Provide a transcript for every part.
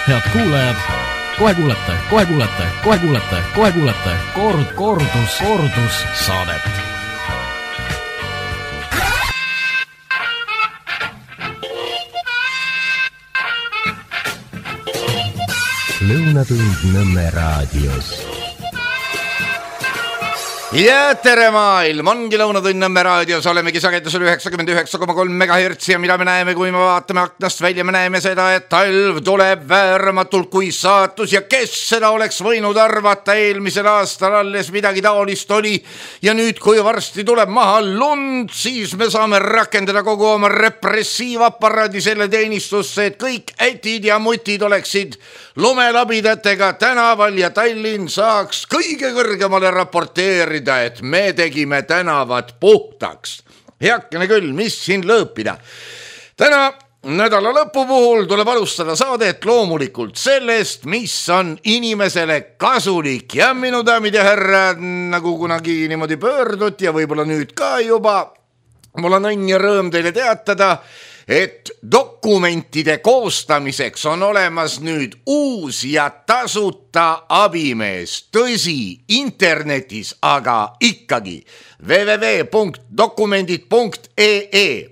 Head kuulajad, kohe kuulete kordus saadet. Lõunatund Nõmme raadios. Ja tere maailm, ongi Lõunatund Nõmme raadios, olemegi sagedusel 99,3 MHz ja mida me näeme, kui me vaatame aknast välja, me näeme seda, et talv tuleb vääramatult kui saatus ja kes seda oleks võinud arvata, eelmisel aastal alles midagi taolist oli ja nüüd, kui varsti tuleb maha lund, siis me saame rakendada kogu oma repressiivaparaadi selle teenistusse, et kõik ätid ja mutid oleksid lumelabidatega tänaval ja Tallinn saaks kõige kõrgemale raporteerida, et me tegime tänavad puhtaks. Heakene küll, mis siin lõõpida. Täna nädala lõpu puhul tuleb alustada saadet loomulikult sellest, mis on inimesele kasulik. Ja minu daamid ja härrad, nagu kunagi niimoodi pöördut ja võib-olla nüüd ka juba, mul on õnn ja rõõm teile teatada, et dokumentide koostamiseks on olemas nüüd uus ja tasuta abimees. Tõsi, internetis, aga ikkagi www.dokumendid.ee.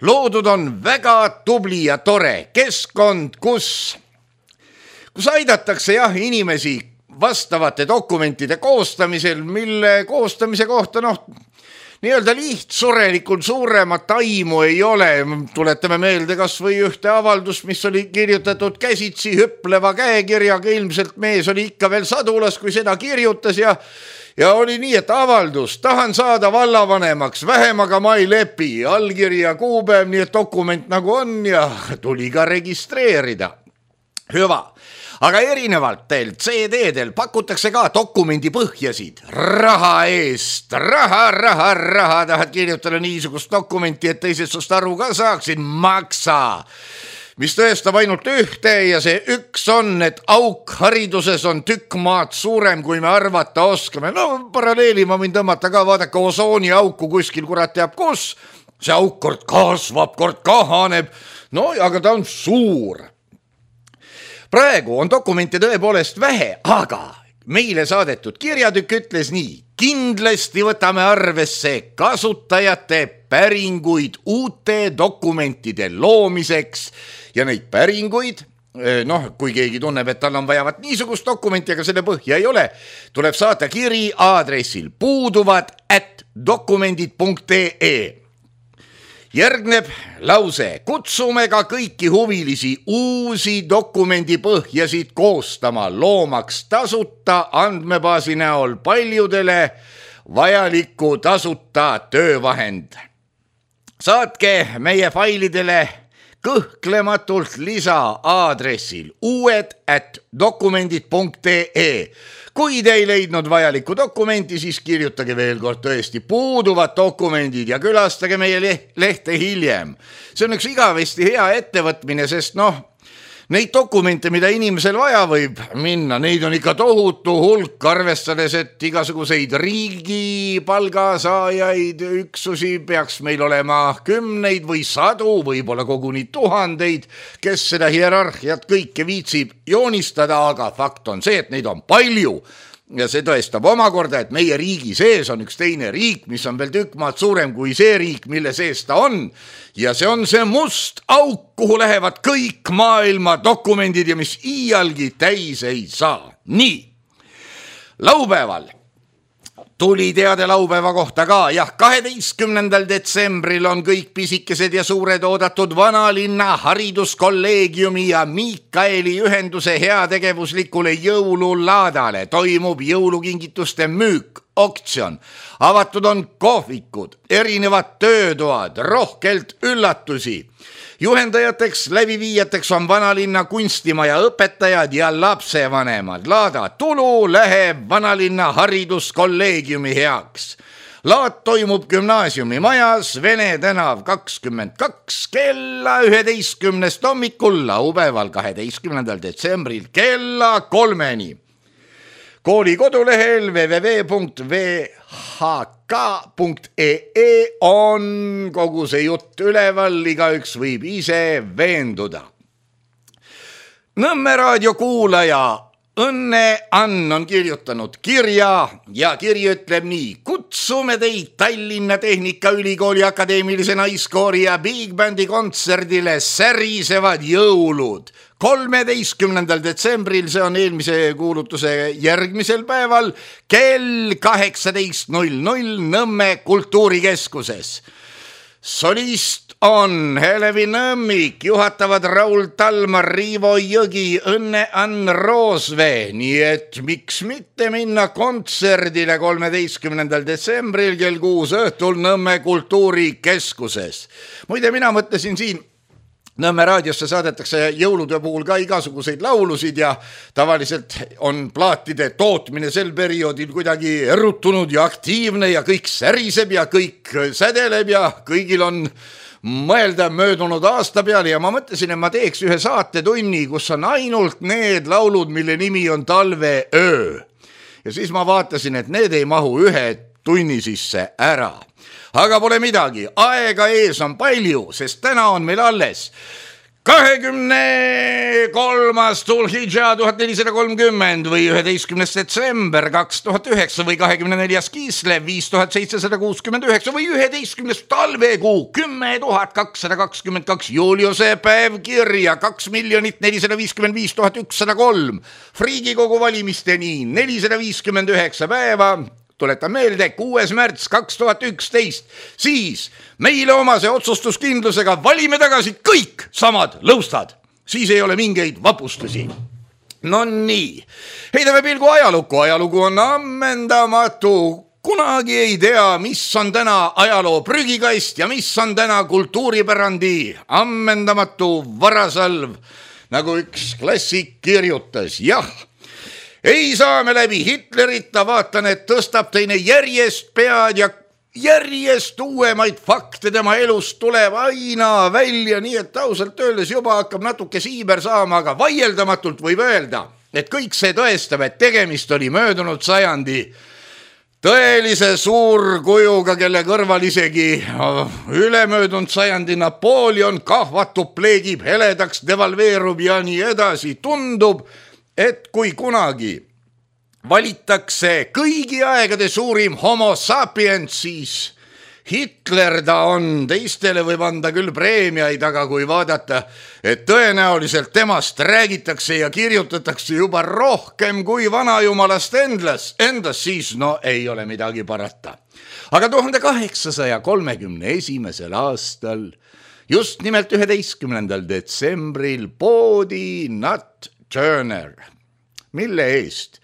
Loodud on väga tubli ja tore keskkond, kus aidatakse inimesi vastavate dokumentide koostamisel, mille koostamise kohta nii-öelda lihtsurelikult suuremat aimu ei ole. Tuletame meelde kas või ühte avaldust, mis oli kirjutatud käsitsi hüpleva käekirjaga. Ilmselt mees oli ikka veel sadulas, kui seda kirjutas ja oli nii, et avaldus, tahan saada vallavanemaks, vähemaga ma ei lepi, allkirja kuupäev, nii et dokument nagu on ja tuli ka registreerida. Hüva. Aga erinevalt teil CD-del pakutakse ka dokumendi põhjasid raha eest. Raha, tahad kirjutada niisugust dokumenti, et teised sust aru ka saaksid, maksa. Mis tõestab ainult ühte ja see üks on, et auk hariduses on tükk maad suurem, kui me arvata oskame. Paralleeli ma võin tõmmata ka, vaadake osooni auku kuskil, kurat teab kus. See auk kord kasvab, kord kahaneb, aga ta on suur. Praegu on dokumente tõepoolest vähe, aga meile saadetud kirjatükk ütles nii. Kindlasti võtame arvesse kasutajate päringuid uute dokumentide loomiseks ja neid päringuid, kui keegi tunneb, et tal on vajavat niisugust dokumenti, aga selle põhja ei ole, tuleb saata kiri aadressil puuduvad@dokumendid.ee. Järgneb lause, kutsume ka kõiki huvilisi uusi dokumendi põhjasid koostama, loomaks tasuta andmebaasi näol paljudele vajaliku tasuta töövahend. Saatke meie failidele kõhklematult lisa aadressil uued@dokumendid.ee. Kui te ei leidnud vajalikku dokumenti, siis kirjutage veel kord tõesti puuduvad dokumendid ja külastage meie lehte hiljem. See on üks igavesti hea ettevõtmine, sest neid dokumente, mida inimesel vaja võib minna, neid on ikka tohutu hulk, arvestades, et igasuguseid riigi palgasaajaid üksusi peaks meil olema kümneid või sadu, võib-olla koguni tuhandeid, kes seda hierarhiat kõike viitsib joonistada, aga fakt on see, et neid on palju. Ja see tõestab omakorda, et meie riigi sees on üks teine riik, mis on veel tükk maad suurem kui see riik, mille sees ta on. Ja see on see must auk, kuhu lähevad kõik maailma dokumendid ja mis iialgi täis ei saa. Nii, laupäeval tuli teade laupäeva kohta ka. 12. detsembril on kõik pisikesed ja suured oodatud Vanalinna hariduskolleegiumi ja Miikaeli ühenduse heategevuslikule jõululaadale. Toimub jõulukingituste müük, oktsion. Avatud on kohvikud, erinevad töötoad, rohkelt üllatusi. Juhendajateks, läbiviijateks on Vanalinna kunstimaja õpetajad ja lapsevanemad. Laada tulu läheb Vanalinna hariduskolleegiumi heaks. Laad toimub gümnaasiumi majas, Vene tänav 22 kella 11 hommikul, laupäeval 12. detsembril kella 3-ni. Kooli kodulehel www.vhk.ee on kogu see jutt üleval, igaüks võib ise veenduda. Nõmme raadio kuulaja Õnne Ann on kirjutanud kirja ja kiri ütleb nii. Kutsume teid Tallinna Tehnikaülikooli Akadeemilise Naiskoori ja Big Bandi kontserdile Särisevad jõulud 13. detsembril, see on eelmise kuulutuse järgmisel päeval, kell 18:00 Nõmme kultuurikeskuses. Solist on Helevi Nõmmik, juhatavad Raul Talmar, Riivo Jõgi, Õnne Ann Roosvee, nii et miks mitte minna kontserdile 13. detsembril kell 6 õhtul Nõmme kultuurikeskuses. Muide, mina mõtlesin siin, Nõmme raadiosse saadetakse jõulude puhul ka igasuguseid laulusid ja tavaliselt on plaatide tootmine sel perioodil kuidagi erutunud ja aktiivne ja kõik säriseb ja kõik sädeleb ja kõigil on mõelda möödunud aasta peale ja ma mõtlesin, et ma teeks ühe saatetunni, kus on ainult need laulud, mille nimi on Talveöö. Ja siis ma vaatasin, et need ei mahu ühe tunni sisse ära. Aga pole midagi, aega ees on palju, sest täna on meil alles 23. Tulhidža 1430 või 11. detsember 2009 või 24. Kiislev 5769 või 11. talvekuu 10.222 Juliuse päev kirja 2,455,103 Riigikogu valimisteni 459 päeva. Tuletan meelde, 6. märts 2011, siis meile omase otsustuskindlusega valime tagasi kõik samad lõustad. Siis ei ole mingeid vapustusi. No nii, heidame pilgu ajalukku. Ajalugu on ammendamatu. Kunagi ei tea, mis on täna ajaloo prügikast ja mis on täna kultuuripärandi ammendamatu varasalv, nagu üks klassik kirjutas. Jah, ei saa me läbi Hitlerita, vaatan, et tõstab teine järjest pead ja järjest uuemaid fakte tema elust tuleb aina välja, nii et ausalt öeldes juba hakkab natuke siiber saama, aga vaieldamatult võib öelda, et kõik see tõestab, et tegemist oli möödunud sajandi tõelise suurkujuga, kelle kõrval isegi ülemöödunud sajandi Napoleon kahvatub, pleegib, heledaks, devalveerub ja nii edasi. Tundub, et kui kunagi valitakse kõigi aegade suurim homo sapiens, siis Hitler ta on. Teistele võib anda küll preemiaid, aga kui vaadata, et tõenäoliselt temast räägitakse ja kirjutatakse juba rohkem kui vanajumalast endast, siis no ei ole midagi parata. Aga 1831. aastal, just nimelt 11. detsembril poodi Nat Turner, mille eest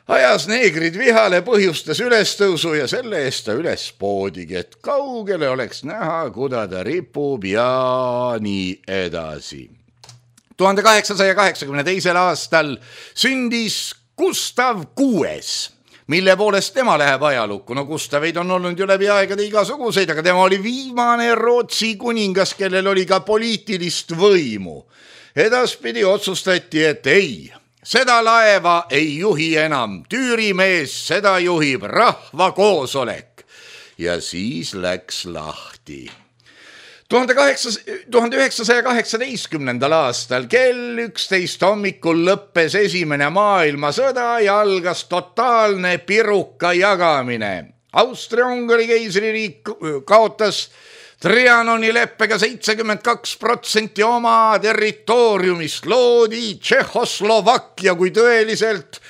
ajas neegrid vihale, põhjustas ülestõusu ja selle eest ta üles poodigi, et kaugele oleks näha, kuda ta ripub ja nii edasi. 1882. aastal sündis Gustav VI, mille poolest tema läheb ajalukku. No Gustaveid on olnud ju läbi aegade igasuguseid, aga tema oli viimane Rootsi kuningas, kellel oli ka poliitilist võimu. Edaspidi otsustati, et ei, seda laeva ei juhi enam tüürimees, seda juhib rahvakoosolek. Ja siis läks lahti. 1918. aastal kell 11 hommikul lõppes esimene maailmasõda ja algas totaalne piruka jagamine. Austria-Ungari keisririik kaotas Trianoni leppega 72% oma territooriumist, loodi Tšehhoslovakkia kui tõeliselt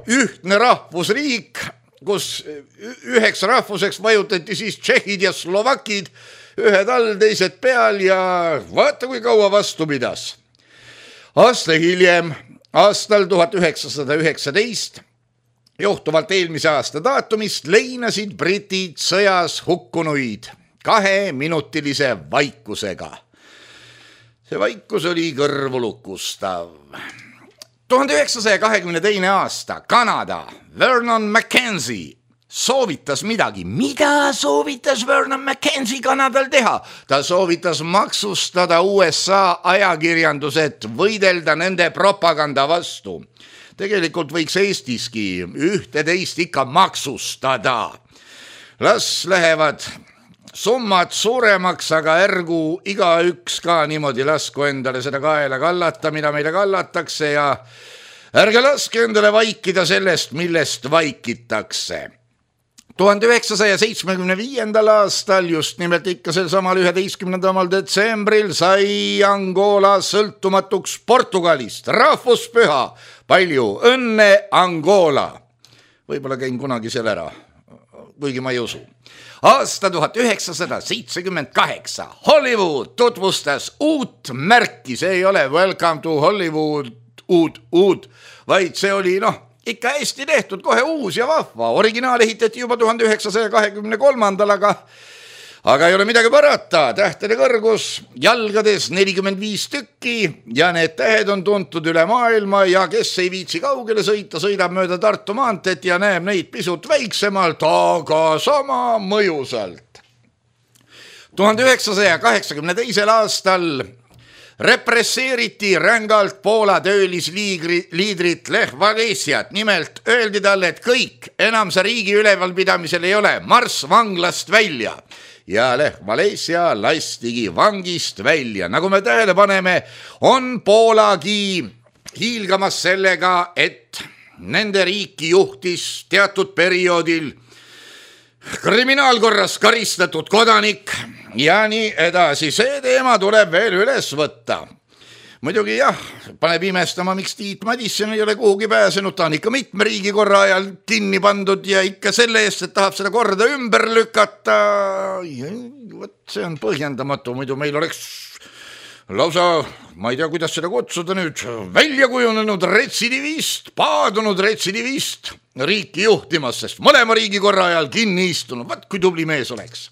ühtne rahvusriik, kus üheks rahvuseks vajutati siis tšehhid ja slovakid, ühed all, teised peal ja vaata kui kaua vastu pidas. Aasta hiljem, aastal 1919, johtuvalt eelmise aasta daatumist leinasid britid sõjas hukkunuid 2-minutilise vaikusega. See vaikus oli kõrvulukustav. 1922. aasta Kanada Vernon McKenzie soovitas midagi. Mida soovitas Vernon McKenzie Kanadal teha? Ta soovitas maksustada USA ajakirjandused, võidelda nende propaganda vastu. Tegelikult võiks Eestiski ühte teist ikka maksustada. Las lähevad summad suuremaks, aga ärgu igaüks ka niimoodi lasku endale seda kaela kallata, mida meile kallatakse ja ärge laske endale vaikida sellest, millest vaikitakse. 1975. aastal, just nimelt ikka sel samal 11. detsembril sai Angola sõltumatuks Portugalist, rahvuspüha. Palju õnne, Angola! Võib-olla käin kunagi seal ära, kuigi ma ei usu. Aasta 1978 Hollywood tutvustas uut märki, see ei ole Welcome to Hollywood uud, vaid see oli ikka hästi tehtud, kohe uus ja vahva. Originaal ehitati juba 1923. Aga ei ole midagi parata, tähtede kõrgus jalgades 45 tükki ja need tähed on tuntud üle maailma ja kes ei viitsi kaugele sõita, sõidab mööda Tartu maanteed ja näeb neid pisut väiksemalt, aga sama mõjusalt. 1982. aastal represseeriti rängalt Poola töölisliidrit Lech Walesiat. Nimelt öeldi talle, et kõik, enam sa riigi ülevalpidamisel ei ole, marss vanglast välja. Ja Lech Walesia lastigi vangist välja. Nagu me tähele paneme, on Poolagi hiilgamas sellega, et nende riiki juhtis teatud perioodil kriminaalkorras karistatud kodanik ja nii edasi. See teema tuleb veel üles võtta. Muidugi jah, paneb imestama, miks Tiit Madisson ei ole kuhugi pääsenud, ta on ikka mitme riigikorra ajal kinni pandud ja ikka selle eest, et tahab seda korda ümber lükata. Võt, see on põhjendamatu, muidu meil oleks lausa, ma ei tea, kuidas seda kutsuda nüüd, välja kujunenud retsidivist, paadunud retsidivist riiki juhtimas, sest mõlema riigikorra ajal kinni istunud. Võt, kui tubli mees oleks.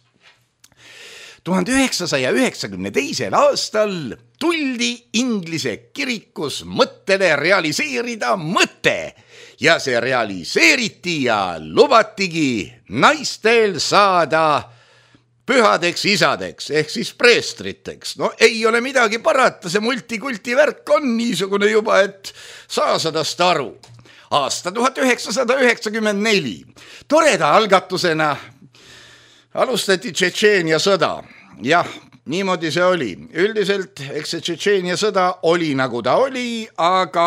1992. aastal tuldi Inglise kirikus mõttele realiseerida mõte ja see realiseeriti ja lubatigi naistel saada pühadeks isadeks ehk siis preestriteks. No ei ole midagi parata, see multikulti värk on niisugune juba, et saa sadast aru. Aasta 1994 toreda algatusena alustati Tšetšeenia sõda. Jah, niimoodi see oli. Üldiselt, eks see Tšetšeenia sõda oli nagu ta oli, aga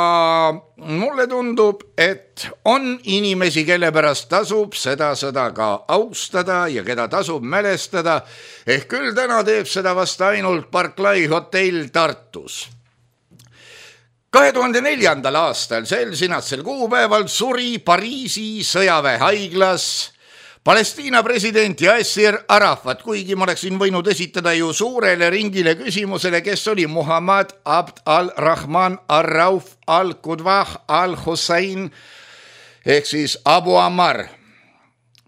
mulle tundub, et on inimesi, kelle pärast tasub seda sõda ka austada ja keda tasub mälestada. Ehk küll täna teeb seda vast ainult Barclay hotell Tartus. 2004. aastal sel sinatsel kuupäeval suri Pariisi sõjaväehaiglas Palestiina president Yasser Arafat, kuigi ma oleksin võinud esitada ju suurele ringile küsimusele, kes oli Muhammad Abd al-Rahman al-Rauf al-Qudwah al-Hussein ehk siis Abu Ammar.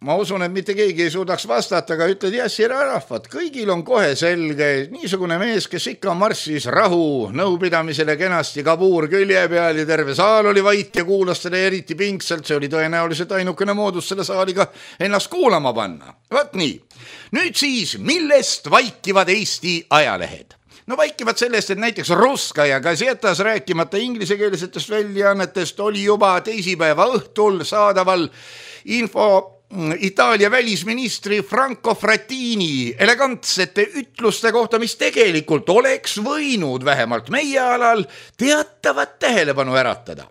Ma usun, et mitte keegi ei suudaks vastata, aga ütled Yasser Arafat. Kõigil on kohe selge, niisugune mees, kes ikka marssis rahu nõupidamisele kenasti kabuur külje peal ja terve saal oli vait ja kuulas seda eriti pingsalt. See oli tõenäoliselt ainukene moodus selle saaliga ennast kuulama panna. Vaat nii. Nüüd siis, millest vaikivad Eesti ajalehed? No vaikivad sellest, et näiteks Russkaja Gazetas, rääkimata inglisekeelsetest väljaannetest, oli juba teisipäeva õhtul saadaval info Itaalia välisministri Franco Frattini elegantsete ütluste kohta, mis tegelikult oleks võinud vähemalt meie alal teatavat tähelepanu äratada.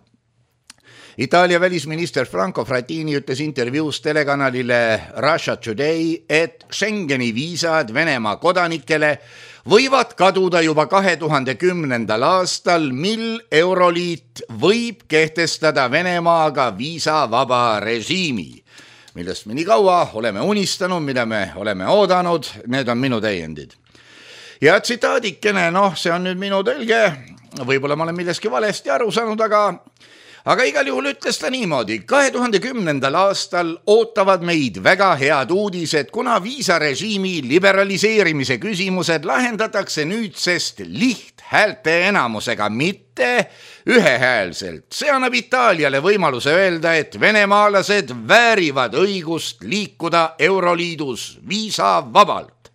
Itaalia välisminister Franco Frattini ütles intervjuus telekanalile Russia Today, et Schengeni viisad Venemaa kodanikele võivad kaduda juba 2010. aastal, mil Euroliit võib kehtestada Venemaaga viisavaba režiimi, millest me nii kaua oleme unistanud, mida me oleme oodanud, need on minu täiendid. Ja tsitaadikene, see on nüüd minu tõlge, võib-olla ma olen milleski valesti aru saanud, aga igal juhul ütles ta niimoodi. 2010. aastal ootavad meid väga head uudised, kuna viisarežiimi liberaliseerimise küsimused lahendatakse nüüdsest lihthäälte enamusega, mitte ühehäälselt. See annab Itaaliale võimaluse öelda, et venemaalased väärivad õigust liikuda Euroliidus viisavabalt.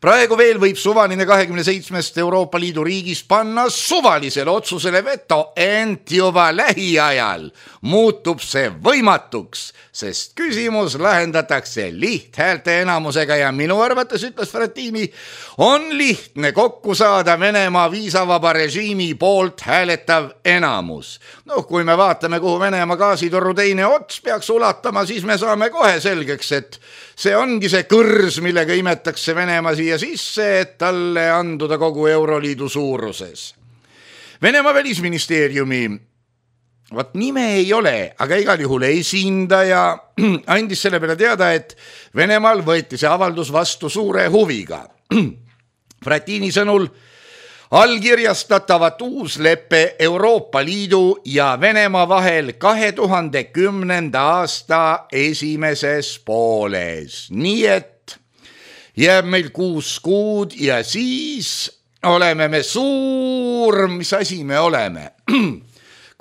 Praegu veel võib suvaline 27 Euroopa Liidu riigist panna suvalisele otsusele veto, ent juba lähiajal muutub see võimatuks, sest küsimus lahendatakse lihthäälte enamusega ja minu arvates, ütles Frattini, on lihtne kokku saada Venemaa viisavaba režiimi poolt hääletav enamus. Kui me vaatame, kuhu Venemaa gaasitoru teine ots peaks ulatama, siis me saame kohe selgeks, et see ongi see kõrs, millega imetakse Venemaa siia sisse, et talle anduda kogu Euroliidu suuruses. Venemaa välisministeeriumi, nime ei ole, aga igal juhul esindaja andis selle peale teada, et Venemaal võeti see avaldus vastu suure huviga. Frattini sõnul allkirjastatavat uusleppe Euroopa Liidu ja Venemaa vahel 2010. aasta esimeses pooles. Nii et jääb meil 6 kuud ja siis oleme me suur, mis asi me oleme.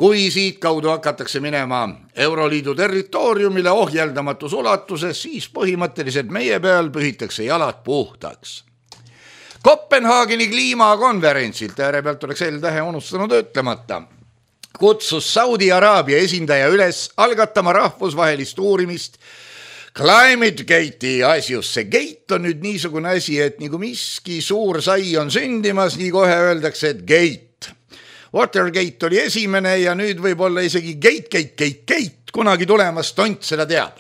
Kui siit kaudu hakatakse minema Euroliidu territooriumile ohjeldamatus ulatuses, siis põhimõtteliselt meie peal pühitakse jalad puhtaks. Kopenhaageni kliimakonverentsilt, äärepealt oleks L-tähe unustanud ütlemata, kutsus Saudi Araabia esindaja üles algatama rahvusvahelist uurimist Climate Gate'i asjus. See gate on nüüd niisugune asi, et nagu miski suur sai on sündimas, nii kohe öeldakse, et gate. Watergate oli esimene ja nüüd võib olla isegi gate, kunagi tulemas, tont seda teab.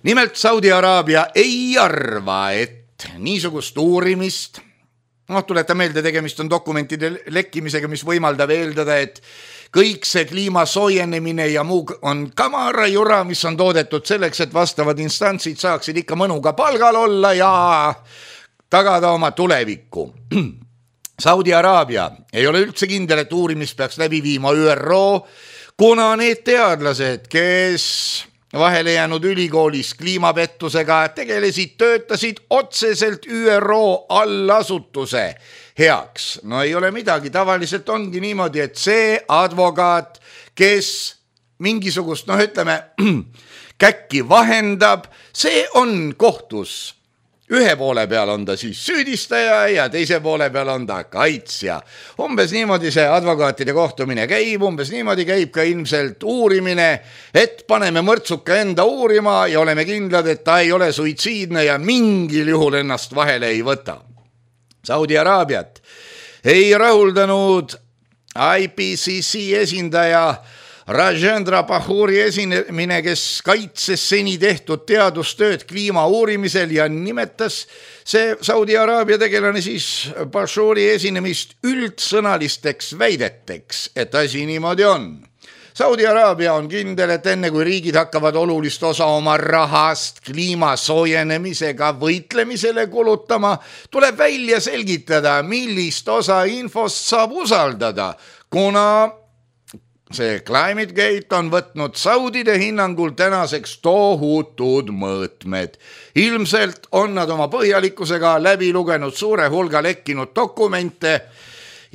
Nimelt Saudi Araabia ei arva, et niisugust uurimist, tuleta meelde, tegemist on dokumentide lekkimisega, mis võimaldab eeldada, et kõik see kliima soojenemine ja muu on kamara jura, mis on toodetud selleks, et vastavad instantsid saaksid ikka mõnuga palgal olla ja tagada oma tulevikku. Saudi Araabia ei ole üldse kindel, et uurimist peaks läbi viima ÜRO, kuna need teadlased, kes vahele jäänud ülikoolis kliimapettusega tegelesid, töötasid otseselt ÜRO allasutuse heaks. No ei ole midagi, tavaliselt ongi niimoodi, et see advokaat, kes mingisugust, käkki vahendab, see on kohtus. Ühe poole peal on ta siis süüdistaja ja teise poole peal on ta kaitsja. Umbes niimoodi see advokaatide kohtumine käib, umbes niimoodi käib ka ilmselt uurimine, et paneme mõrtsuka enda uurima ja oleme kindlad, et ta ei ole suitsiidne ja mingil juhul ennast vahele ei võta. Saudi Araabiat ei rahuldanud IPCC esindaja Rajendra Pahuri esinemine, kes kaitses seni tehtud teadustööd kliima uurimisel ja nimetas see Saudi Araabia tegelane siis Pahuri esinemist üldsõnalisteks väideteks, et asi niimoodi on. Saudi Araabia on kindel, et enne kui riigid hakkavad olulist osa oma rahast kliima soojenemisega võitlemisele kulutama, tuleb välja selgitada, millist osa infost saab usaldada, kuna see Climate Gate on võtnud Saudide hinnangul tänaseks tohutud mõõtmed. Ilmselt on nad oma põhjalikkusega läbi lugenud suure hulga lekkinud dokumente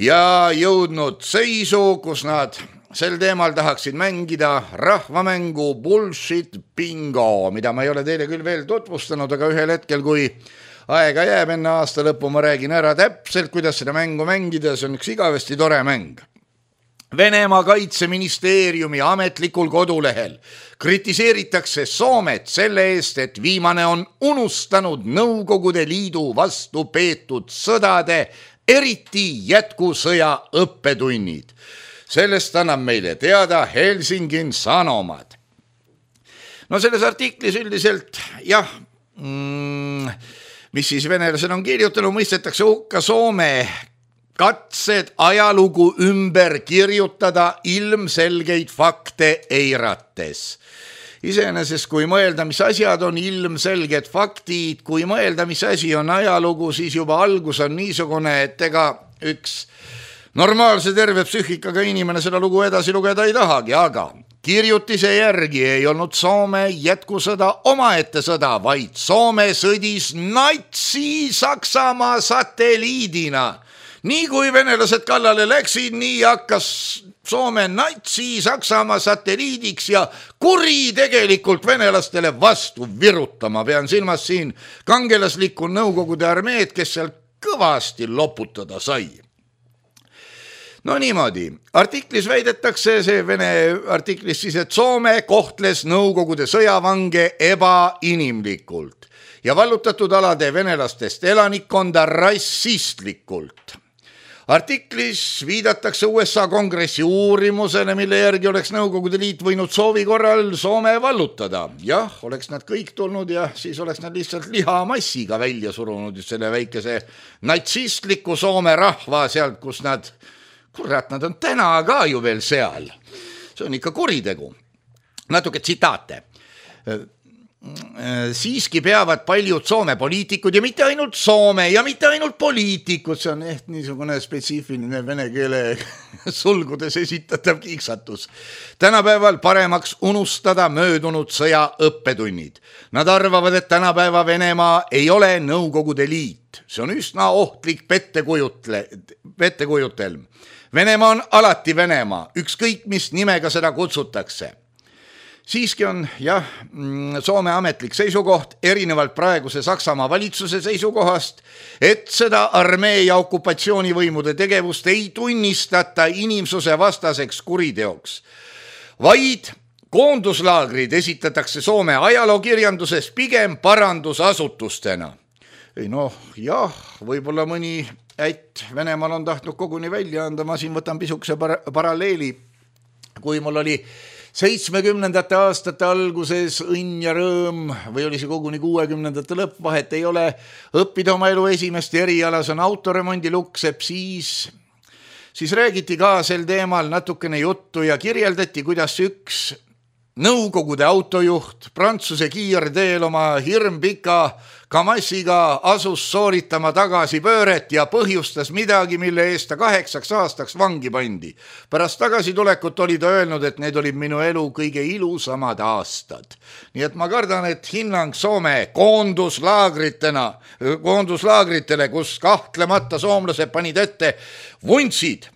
ja jõudnud seisu, kus nad sel teemal tahaksid mängida rahvamängu bullshit bingo, mida ma ei ole teile küll veel tutvustanud, aga ühel hetkel, kui aega jääb enne aasta lõppu, ma räägin ära täpselt, kuidas seda mängu mängida, see on üks igavesti tore mäng. Venemaa kaitseministeeriumi ametlikul kodulehel kritiseeritakse Soomet selle eest, et viimane on unustanud Nõukogude Liidu vastu peetud sõdade, eriti jätkusõja õppetunnid. Sellest annab meile teada Helsingin Sanomad. Selles artiklis üldiselt, mis siis venelased on kirjutanud, mõistetakse hukka Soome katsed ajalugu ümber kirjutada ilmselgeid fakte eirates. Iseenesest, kui mõelda, mis asjad on ilmselged faktid, kui mõelda, mis asi on ajalugu, siis juba algus on niisugune, et ega üks normaalse terve psüühikaga inimene seda lugu edasi lugeda ei tahagi, aga kirjutise järgi ei olnud Soome jätkusõda omaette sõda, vaid Soome sõdis Natsi-Saksamaa satelliidina nii kui venelased kallale läksid, nii hakkas Soome natsi Saksamaa satelliidiks ja kuritegelikult venelastele vastu virutama. Pean silmas siin kangelaslikku Nõukogude armeed, kes seal kõvasti loputada sai. No niimoodi, artiklis väidetakse, see Vene artiklis siis, et Soome kohtles Nõukogude sõjavange ebainimlikult ja vallutatud alade venelastest elanikkonda rassistlikult. Artiklis viidatakse USA kongressi uurimusele, mille järgi oleks Nõukogude Liit võinud soovi korral Soome vallutada. Jah, oleks nad kõik tulnud ja siis oleks nad lihtsalt lihamassiga välja surunud selle väikese natsistliku Soome rahva sealt, kus nad, kurat, nad on täna ka ju veel seal. See on ikka kuritegu. Natuke tsitaate. Siiski peavad paljud Soome poliitikud ja mitte ainult Soome ja mitte ainult poliitikud, see on niisugune spetsiifiline vene keele sulgudes esitatav kiiksatus. Tänapäeval paremaks unustada möödunud sõja õppetunnid. Nad arvavad, et tänapäeva Venemaa ei ole Nõukogude Liit. See on üsna ohtlik pettekujuttelm. Venemaa on alati Venemaa, ükskõik mis nimega seda kutsutakse. Siiski on Soome ametlik seisukoht erinevalt praeguse Saksamaa valitsuse seisukohast, et seda armee ja okupatsioonivõimude tegevust ei tunnistata inimsuse vastaseks kuriteoks, vaid koonduslaagrid esitatakse Soome ajalookirjanduses pigem parandusasutustena. Võib-olla mõni ätt Venemaal on tahtnud koguni välja anda, ma siin võtan pisukese paralleeli, kui mul oli 70. aastate alguses õnn ja rõõm või oli see koguni 60. lõpp, vahet ei ole, õppida oma elu esimest erialas on autoremondi luksepp, siis räägiti ka sel teemal natukene juttu ja kirjeldati, kuidas üks Nõukogude autojuht Prantsuse kiirteel oma hirmpika Kamassiga asus sooritama tagasipööret ja põhjustas midagi, mille eest ta 8 aastaks vangi pandi. Pärast tagasitulekut oli ta öelnud, et need olid minu elu kõige ilusamad aastad. Nii et ma kardan, et hinnang Soome koonduslaagritele, kus kahtlemata soomlased panid ette vuntsid,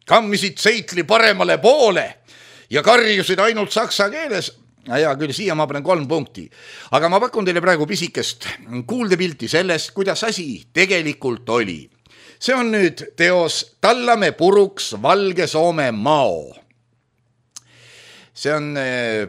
kammisid seitli paremale poole ja karjusid ainult saksa keeles. Ja küll siia ma panen 3 punkti. Aga ma pakun teile praegu pisikest kuuldepilti sellest, kuidas asi tegelikult oli. See on nüüd teos Tallame puruks Valge Soome mao. See on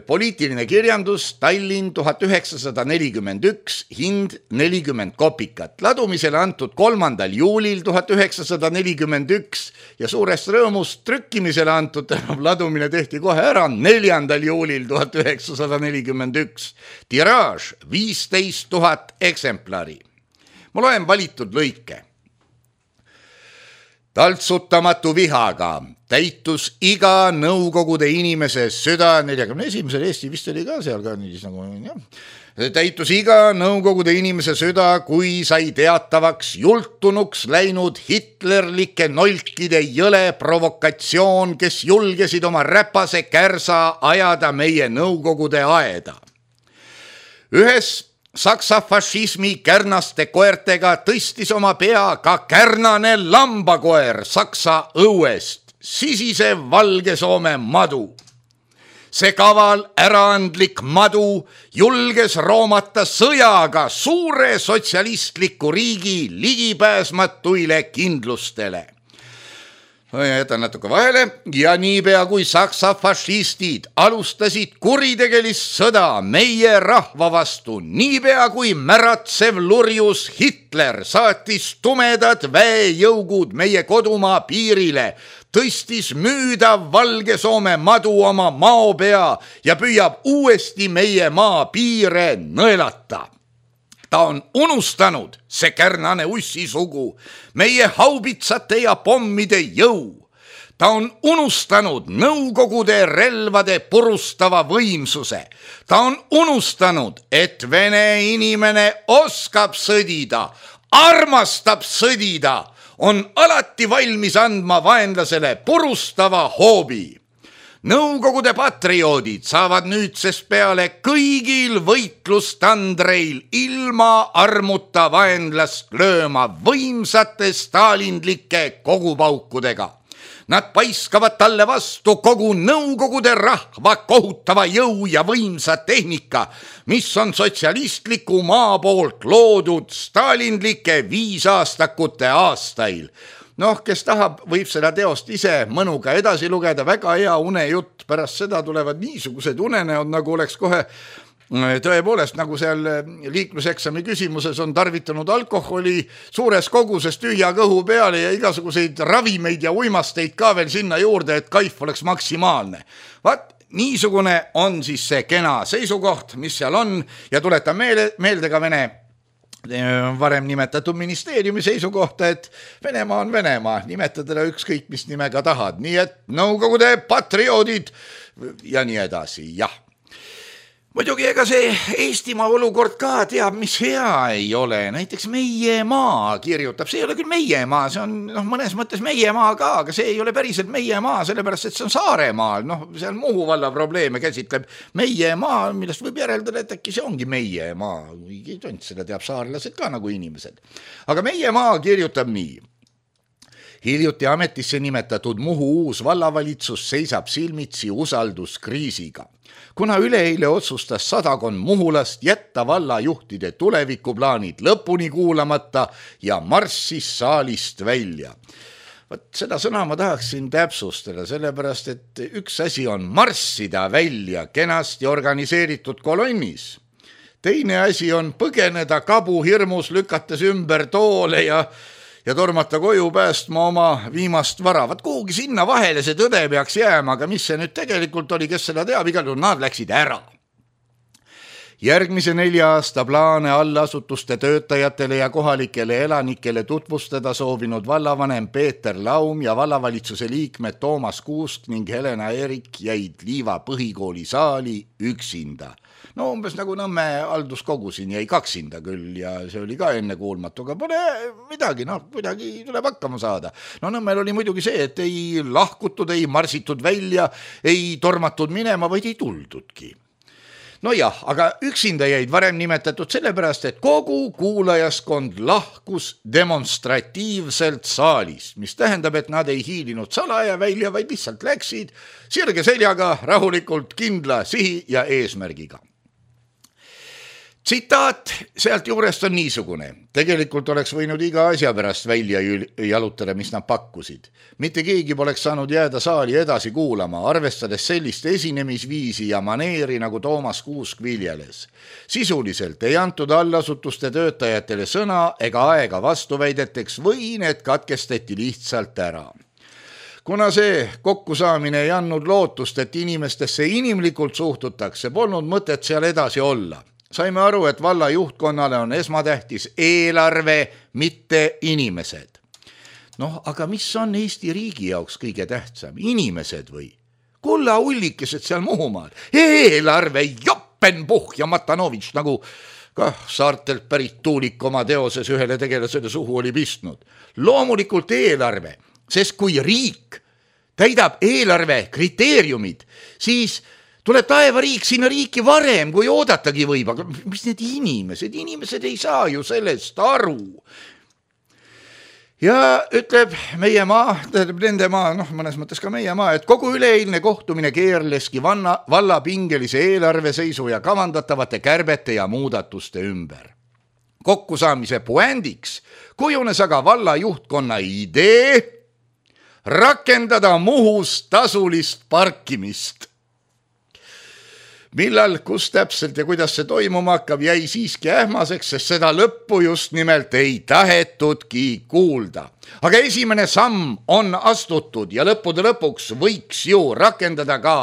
poliitiline kirjandus, Tallinn 1941, hind 40 kopikat. Ladumisele antud 3. juulil 1941 ja suurest rõõmust trükkimisele antud, ladumine tehti kohe ära 4. juulil 1941. Tiraaž 15 000 eksemplari. Ma loen valitud lõike. Taltsutamatu vihaga täitus iga Nõukogude inimese süda, 41. Eesti vist oli ka seal ka niis nagu, täitus iga Nõukogude inimese süda, kui sai teatavaks jultunuks läinud hitlerlike nolkide jõle provokatsioon, kes julgesid oma räpase kärsa ajada meie Nõukogude aeda. Ühes Saksa fašismi kärnaste koertega tõstis oma pea ka kärnane lambakoer Saksa õuest, sisisev Valge Soome madu. See kaval äraandlik madu julges roomata sõjaga suure sotsialistliku riigi ligipääsmatuile kindlustele. Jätan natuke vahele ja niipea kui Saksa fašistid alustasid kuritegelist sõda meie rahva vastu, niipea kui märatsev lurjus Hitler saatis tumedad väejõugud meie kodumaa piirile, tõstis müüdav Valge Soome madu oma maopea ja püüab uuesti meie maa piire nõelata. Ta on unustanud, see kärnane ussisugu, meie haubitsate ja pommide jõu. Ta on unustanud Nõukogude relvade purustava võimsuse. Ta on unustanud, et vene inimene oskab sõdida, armastab sõdida, on alati valmis andma vaenlasele purustava hoobi. Nõukogude patrioodid saavad nüüdsest peale kõigil võitlustandreil ilma armuta vaenlast lööma võimsate stalinlike kogupaukudega. Nad paiskavad talle vastu kogu Nõukogude rahva kohutava jõu ja võimsa tehnika, mis on sotsialistliku maa poolt loodud stalinlike 5 aastakute aastail. Kes tahab, võib seda teost ise mõnuga edasi lugeda, väga hea unejutt, pärast seda tulevad niisugused unenäod, nagu oleks kohe tõepoolest, nagu seal liikluseksami küsimuses on tarvitanud alkoholi suures koguses tühja kõhu peale ja igasuguseid ravimeid ja uimasteid ka veel sinna juurde, et kaif oleks maksimaalne. Niisugune on siis see kena seisukoht, mis seal on ja tuletan meelde ka Vene varem nimetatud ministeeriumi seisukohta, et Venemaa on Venemaa, nimetada ükskõik mis nimega tahad, nii et Nõukogude patrioodid ja nii edasi, jah. Muidugi ega see Eestimaa olukord ka teab, mis hea ei ole, näiteks Meie maa kirjutab, see ei ole küll meie maa, see on mõnes mõttes meie maa ka, aga see ei ole päriselt meie maa, sellepärast et see on Saaremaal, seal Muhu valla probleeme käsitleb meie maa, millest võib järeldada, et äkki see ongi meie maa, seda teab saarlased ka nagu inimesed. Aga meie maa kirjutab nii. Hiljuti ametisse nimetatud Muhu uus vallavalitsus seisab silmitsi usalduskriisiga. Kuna üleeile otsustas sadakond muhulast jätta vallajuhtide tulevikuplaanid lõpuni kuulamata ja marssis saalist välja. Seda sõna ma tahaksin täpsustada, sellepärast et üks asi on marssida välja kenasti organiseeritud kolonnis. Teine asi on põgeneda kabuhirmus, lükates ümber toole ja tormata koju päästma oma viimast vara. Kuhugi sinna vahele see tõde peaks jääma, aga mis see nüüd tegelikult oli, kes seda teab, igal juhul nad läksid ära. Järgmise 4 aasta plaane allasutuste töötajatele ja kohalikele elanikele tutvustada soovinud vallavanem Peeter Laum ja vallavalitsuse liikmed Toomas Kuusk ning Helena Erik jäid Liiva põhikooli saali üksinda. Umbes nagu Nõmme halduskogu siin jäi kaksinda küll ja see oli ka ennekuulmatu, aga pole midagi, kuidagi tuleb hakkama saada. Nõmmel oli muidugi see, et ei lahkutud, ei marsitud välja, ei tormatud minema, vaid ei tuldudki. Aga üksinda jäid varem nimetatud sellepärast, et kogu kuulajaskond lahkus demonstratiivselt saalist, mis tähendab, et nad ei hiilinud salaja välja, vaid lihtsalt läksid sirge seljaga rahulikult kindla sihi ja eesmärgiga. Tsitaat sealt juurest on niisugune. Tegelikult oleks võinud iga asja pärast välja jalutada, mis nad pakkusid. Mitte keegi poleks saanud jääda saali edasi kuulama, arvestades sellist esinemisviisi ja maneeri, nagu Toomas Kuusk viljeles. Sisuliselt ei antud allasutuste töötajatele sõna ega aega vastuväideteks või need katkestati lihtsalt ära. Kuna see kokkusaamine ei andnud lootust, et inimestesse inimlikult suhtutakse, polnud mõtet seal edasi olla. Saime aru, et valla juhtkonnale on esmatähtis eelarve, mitte inimesed. Aga mis on Eesti riigi jaoks kõige tähtsam? Inimesed või? Kulla ullikesed seal Muhumaal. Eelarve, Joppenbuch ja Matanovitš, nagu saartelt pärit Tuulik oma teoses ühele tegelasele suhu oli pistnud. Loomulikult eelarve, sest kui riik täidab eelarve kriteeriumid, siis tuleb taevariik sinna riiki varem, kui oodatagi võib, aga mis need inimesed ei saa ju sellest aru. Ja ütleb meie maa, nende maa, mõnes mõttes ka meie maa, et kogu üleeilne kohtumine keerleski valla pingelise eelarveseisu ja kavandatavate kärbete ja muudatuste ümber. Kokkusaamise puändiks kujunes aga valla juhtkonna idee rakendada Muhus tasulist parkimist. Millal, kus täpselt ja kuidas see toimuma hakkab, jäi siiski ähmaseks, sest seda lõppu just nimelt ei tahetudki kuulda. Aga esimene samm on astutud ja lõppude lõpuks võiks ju rakendada ka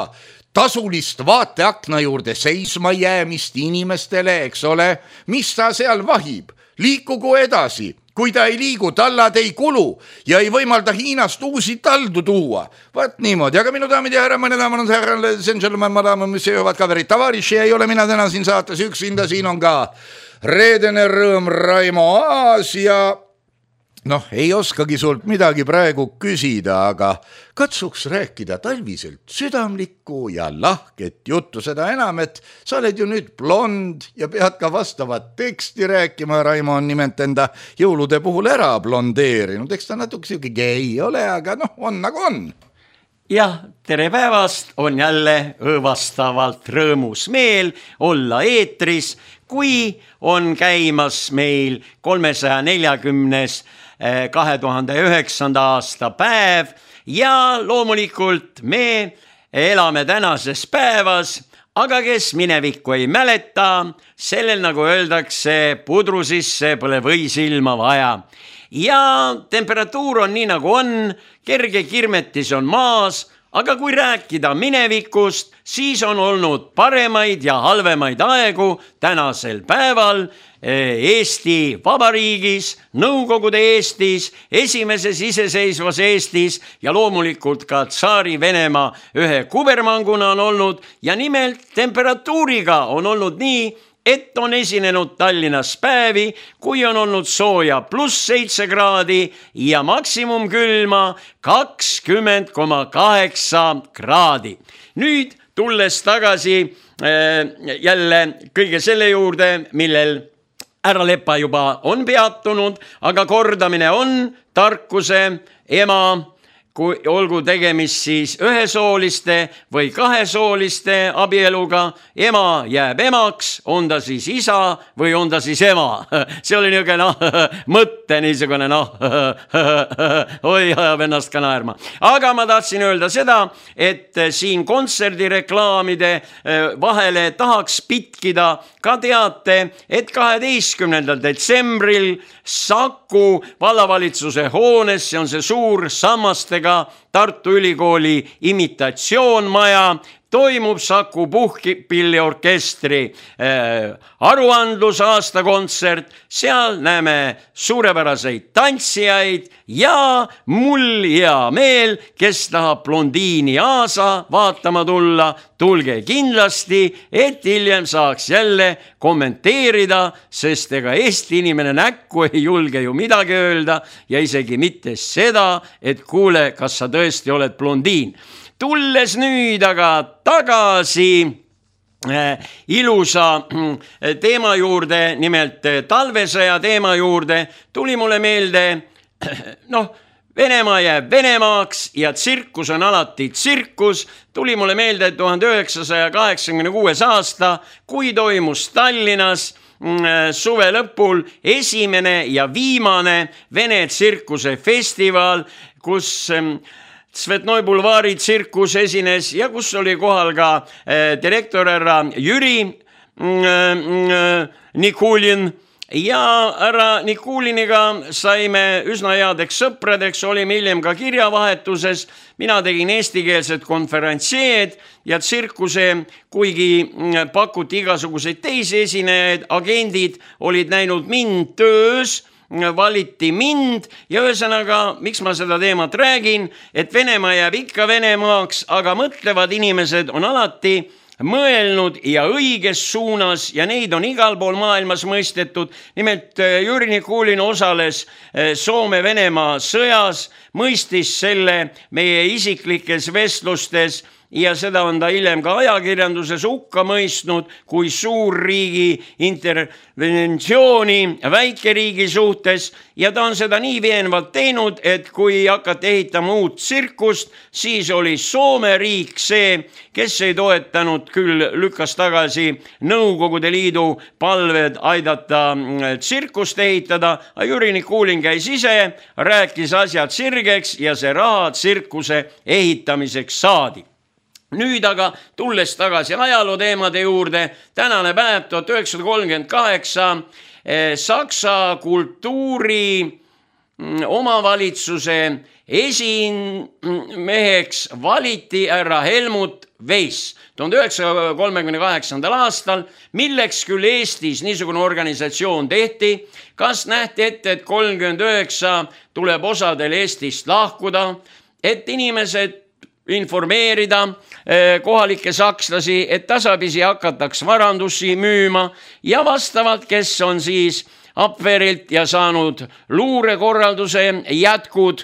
tasulist vaateakna juurde seisma jäämist inimestele, eks ole, mis ta seal vahib, liikugu edasi. Kui ta ei liigu, tallad ei kulu ja ei võimalda Hiinast uusi taldu tuua. Vaat niimoodi, aga minu daamid ja härra, mõne daamad, härra, gentleman, madame, mis jõuavad kaverid tavariši, ei ole mina täna siin saates üksinda, siin on ka reedene rõõm Raimo Aas ja Noh, ei oskagi sult midagi praegu küsida, aga katsuks rääkida talviselt südamlikku ja lahket juttu, seda enam, et sa oled ju nüüd blond ja pead ka vastavat teksti rääkima. Raimo on nimelt enda jõulude puhul ära blondeerinud, eks ta natuke siuke gei ole, aga noh, on nagu on. Jah, tere päevast, on jälle õõvastavalt rõõmus meel olla eetris, kui on käimas meil 340. 2009. aasta päev ja loomulikult me elame tänases päevas, aga kes minevikku ei mäleta, sellel nagu öeldakse, pudru sisse pole võisilma vaja. Ja temperatuur on nii nagu on, kerge kirmetis on maas, aga kui rääkida minevikust, siis on olnud paremaid ja halvemaid aegu tänasel päeval Eesti Vabariigis, Nõukogude Eestis, esimeses iseseisvas Eestis ja loomulikult ka tsaari Venemaa ühe kubermanguna on olnud ja nimelt temperatuuriga on olnud nii, et on esinenud Tallinnas päevi, kui on olnud sooja +7 kraadi ja maksimumkülma 20,8 kraadi. Nüüd tulles tagasi jälle kõige selle juurde, millel härra Lepa juba on peatunud, aga kordamine on tarkuse ema, kui olgu tegemist siis ühesooliste või kahesooliste abieluga, ema jääb emaks, on ta siis isa või on ta siis ema. See oli niisugune mõtte niisugune oi, ajab ennast ka naerma. Aga ma tahtsin öelda seda, et siin kontserdireklaamide vahele tahaks pitkida ka teate, et 12. detsembril Saku vallavalitsuse hoones, see on see suur sammastega Tartu Ülikooli imitatsioonmaja, toimub Saku puhkpilliorkestri aruandlus aastakontsert, seal näeme suurepäraseid tantsijaid ja mul hea meel, kes tahab blondiini Aasa vaatama tulla, tulge kindlasti, et hiljem saaks jälle kommenteerida, sest ega Eesti inimene näkku ei julge ju midagi öelda ja isegi mitte seda, et kuule, kas sa tõesti oled blondiin. Tulles nüüd aga tagasi ilusa teema juurde, nimelt talvesõja teema juurde, tuli mulle meelde, Venemaa jääb Venemaaks ja tsirkus on alati tsirkus. Tuli mulle meelde 1986. aasta, kui toimus Tallinnas suve lõpul esimene ja viimane Vene tsirkuse festival, kus Svetnoi bulvaari tsirkus esines ja kus oli kohal ka direktor härra Jüri Nikulin. Ja härra Nikuliniga saime üsna headeks sõpradeks, olime hiljem ka kirjavahetuses. Mina tegin eestikeelset konferentsieed ja tsirkuse, kuigi pakuti igasuguseid teisi esinejaid, agendid olid näinud mind töös, valiti mind ja ühesõnaga, miks ma seda teemat räägin, et Venemaa jääb ikka Venemaaks, aga mõtlevad inimesed on alati mõelnud ja õiges suunas ja neid on igal pool maailmas mõistetud. Nimelt Jüri Nikulin osales Soome-Venemaa sõjas, mõistis selle meie isiklikes vestlustes ja seda on ta hiljem ka ajakirjanduses hukka mõistnud kui suurriigi interventsiooni väikeriigi suhtes ja ta on seda nii veenvalt teinud, et kui hakati ehitama uut tsirkust, siis oli Soome riik see, kes ei toetanud, küll lükkas tagasi Nõukogude Liidu palved aidata tsirkust ehitada, aga Jüri Nikulin käis ise, rääkis asjad sirgeks ja see raha tsirkuse ehitamiseks saadi. Nüüd aga tulles tagasi ajaloo teemade juurde, tänane päev 1938 Saksa kultuuri omavalitsuse esimeheks valiti härra Helmut Weiss 1938. aastal, milleks küll Eestis niisugune organisatsioon tehti, kas nähti ette, et 39 tuleb osadel Eestist lahkuda, et inimesed informeerida kohalikke sakslasi, et tasapisi hakataks varandusi müüma ja vastavalt, kes on siis Abwehrilt ja saanud luurekorralduse jätkud,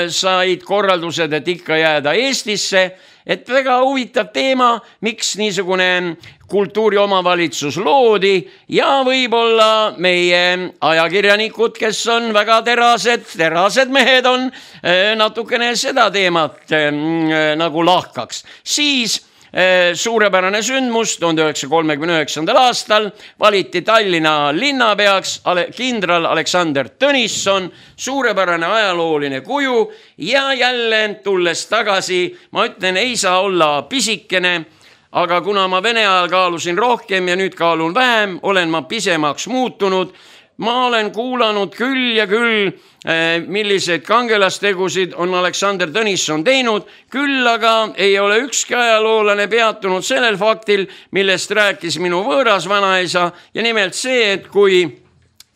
said korraldused, et ikka jääda Eestisse, et väga huvitav teema, miks niisugune kultuuriomavalitsus loodi ja võib-olla meie ajakirjanikud, kes on väga terased mehed on, natukene seda teemat nagu lahkaks. Siis suurepärane sündmus 1939. aastal valiti Tallinna linnapeaks kindral Aleksander Tõnisson, suurepärane ajalooline kuju ja jälle tulles tagasi, ma ütlen, ei saa olla pisikene, aga kuna ma Vene ajal kaalusin rohkem ja nüüd kaalun vähem, olen ma pisemaks muutunud. Ma olen kuulanud küll ja küll, millised kangelastegusid on Aleksander Tõnisson teinud, küll aga ei ole ükski ajaloolane peatunud sellel faktil, millest rääkis minu võõras vanaisa ja nimelt see, et kui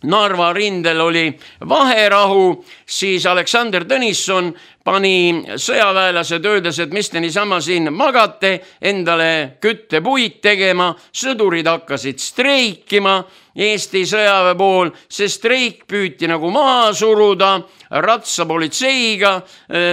Narva rindel oli vaherahu, siis Aleksander Tõnisson pani sõjaväelased öeldes, et mis te niisama siin magate, endale küttepuid tegema, sõdurid hakkasid streikima Eesti sõjaväe pool, see streik püüti nagu maha suruda ratsapolitseiga,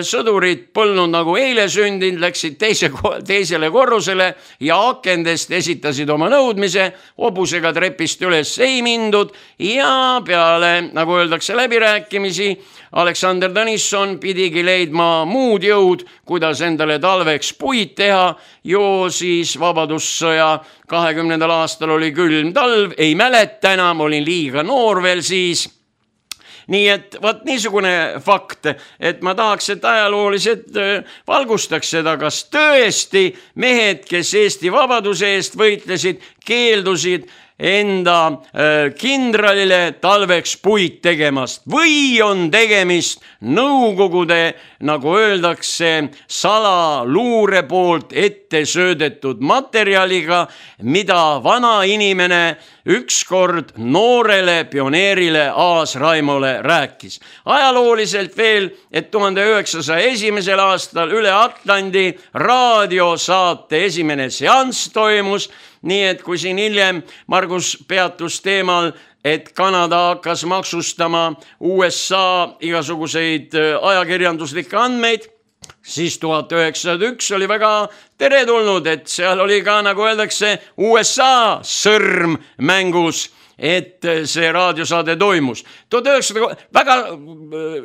sõdurid põlnud nagu eile sündinud, läksid teisele korrusele ja akendest esitasid oma nõudmise, hobusega trepist üles ei mindud ja peale, nagu öeldakse, läbirääkimisi, Aleksander Tõnisson pidigi leidma muud jõud, kuidas endale talveks puid teha, jo siis Vabadussõja 20. aastal oli külm talv, ei mäleta enam, olin liiga noor veel siis. Nii et võt niisugune fakt, et ma tahaks, et ajaloolised valgustaks seda, kas tõesti mehed, kes Eesti vabaduse eest võitlesid, keeldusid enda kindralile talveks puid tegemast või on tegemist nõukogude, nagu öeldakse, salaluure poolt ette söödetud materjaliga, mida vana inimene ükskord noorele pioneerile Aas Raimole rääkis. Ajalooliselt veel, et 1901. aastal üle Atlandi raadiosaate esimene seanss toimus, nii et kui siin hiljem Margus peatus teemal, et Kanada hakkas maksustama USA igasuguseid ajakirjanduslikke andmeid, siis 1901 oli väga teretulnud, et seal oli ka, nagu öeldakse, USA sõrm mängus, et see raadiosaade toimus. 1900 väga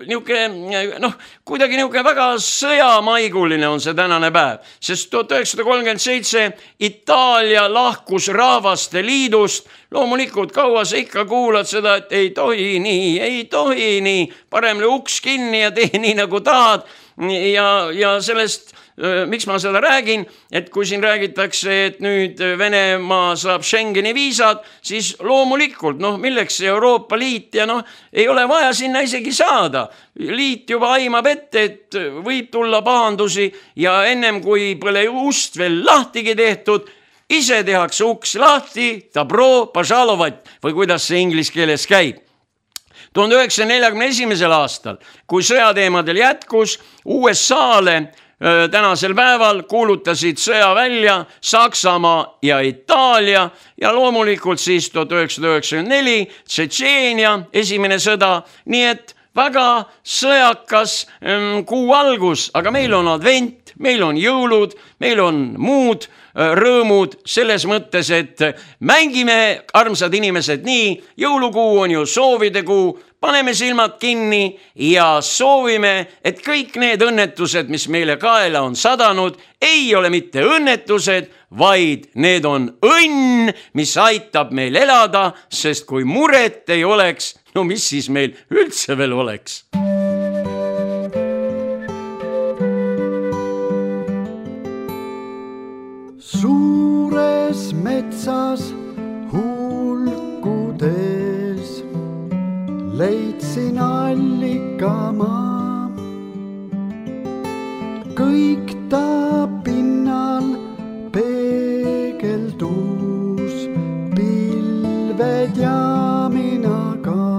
niisugune, kuidagi niisugune väga sõjamaiguline on see tänane päev, sest 1937 Itaalia lahkus Rahvaste Liidust. Loomulikult kaua sa ikka kuulad seda, et ei tohi nii, parem uks kinni ja tee nii nagu tahad ja sellest miks ma seda räägin, et kui siin räägitakse, et nüüd Venemaa saab Schengeni viisad, siis loomulikult, milleks see Euroopa Liit ja ei ole vaja sinna isegi saada. Liit juba aimab ette, et võib tulla pahandusi ja ennem kui pole ust veel lahtigi tehtud, ise tehakse uks lahti, dobro, pažalovat või kuidas see inglise keeles käib. 1941. aastal, kui sõjateemadel jätkus, USA-le tänasel päeval kuulutasid sõja välja Saksamaa ja Itaalia ja loomulikult siis 1994 Tšetšeenia esimene sõda, nii et väga sõjakas kuu algus, aga meil on advent, meil on jõulud, meil on muud rõõmud selles mõttes, et mängime, armsad inimesed, nii, jõulukuu on ju soovide kuu, paneme silmad kinni ja soovime, et kõik need õnnetused, mis meile kaela on sadanud, ei ole mitte õnnetused, vaid need on õnn, mis aitab meil elada, sest kui muret ei oleks, mis siis meil üldse veel oleks? Suures metsas hulkudes leidsin allikamaa. Kõik ta pinnal peegeldus, pilved ja mina ka.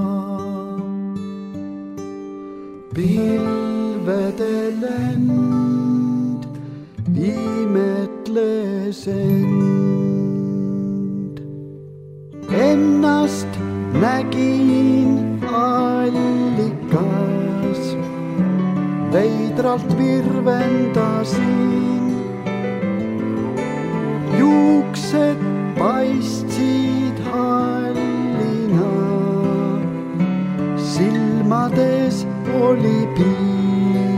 Pilvede lend imetles end. Ennast nägin allikas, veidralt virvendasin. Juuksed paistsid hallina, silmades oli piin.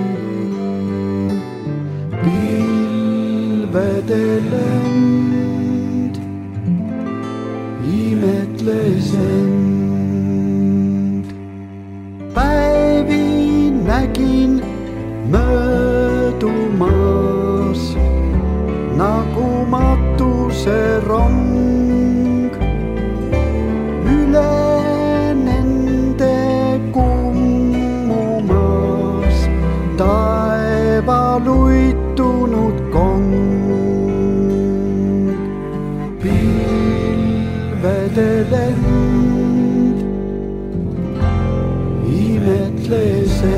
Pilvede lend imetles end. Päevi nägin möödumas nagu matuse rong. Üle nende kummumas taeval uittunud kong. Pilvede lend imetles end.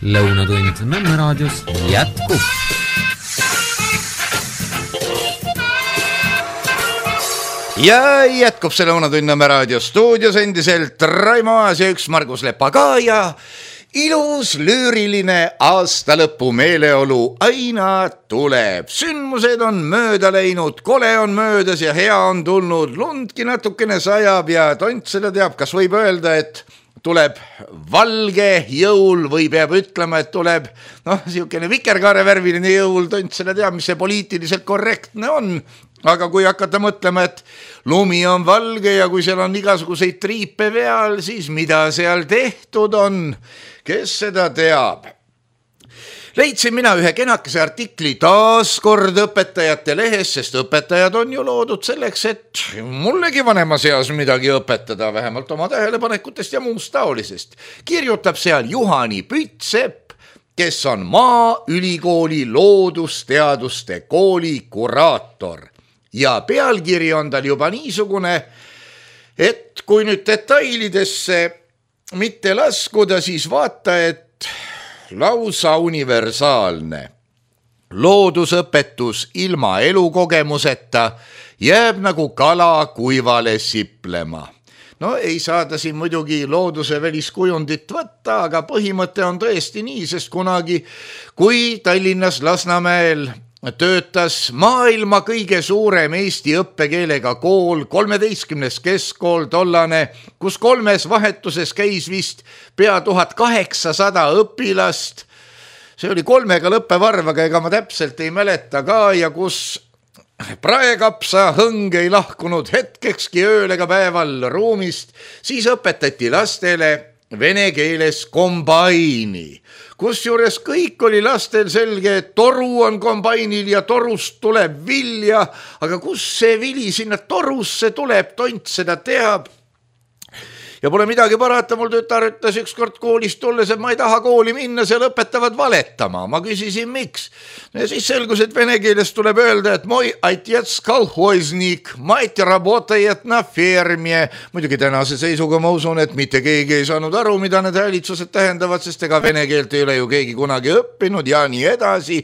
Lõunatund Nõmme raadios jätkub. Ja jätkub see Lõunatund Nõmme raadio stuudios endiselt Raimo Aas ja üks Margus Lepa ka ja ilus lüüriline aastalõpu meeleolu aina tuleb. Sündmused on mööda läinud, kole on möödas ja hea on tulnud, lundki natukene sajab ja tont seda teab, kas võib öelda, et tuleb valge jõul või peab ütlema, et tuleb siukene vikerkaare värviline jõul, tont seda teab, mis see poliitiliselt korrektne on. Aga kui hakata mõtlema, et lumi on valge ja kui seal on igasuguseid triipe peal, siis mida seal tehtud on, kes seda teab? Leidsin mina ühe kenakese artikli taas kord õpetajate lehes, sest õpetajad on ju loodud selleks, et mullegi vanemas eas midagi õpetada, vähemalt oma tähelepanekutest ja muust taolisest. Kirjutab seal Juhani Pütsepp, kes on Maaülikooli loodusteaduste kooli kuraator. Ja pealkiri on tal juba niisugune, et kui nüüd detailidesse mitte laskuda, siis vaata, et lausa universaalne. Loodusõpetus ilma elukogemuseta jääb nagu kala kuivale siplema. No ei saada siin muidugi looduse väliskujundit võtta, aga põhimõte on tõesti nii, sest kunagi, kui Tallinnas Lasnamäel töötas maailma kõige suurem eesti õppekeelega kool, 13. keskkool tollane, kus 3 vahetuses käis vist pea 1800 õpilast. See oli 3 lõppevarv, aga ega ma täpselt ei mäleta ka ja kus praekapsa hõng ei lahkunud hetkekski ööl ega päeval ruumist, siis õpetati lastele vene keeles kombaini. Kusjuures kõik oli lastel selge, et toru on kombainil ja torust tuleb vilja, aga kus see vili sinna torusse tuleb, tont seda teab. Ja pole midagi parata, mul tütar ütles ükskord koolist tulles, et ma ei taha kooli minna, seal õpetavad valetama. Ma küsisin, miks. Ja siis selgus, et vene keeles tuleb öelda, et moj отец колхозник, mait работает на ферме. Muidugi tänase seisuga ma usun, et mitte keegi ei saanud aru, mida need häälitsused tähendavad, sest ega vene keelt ei ole ju keegi kunagi õppinud ja nii edasi.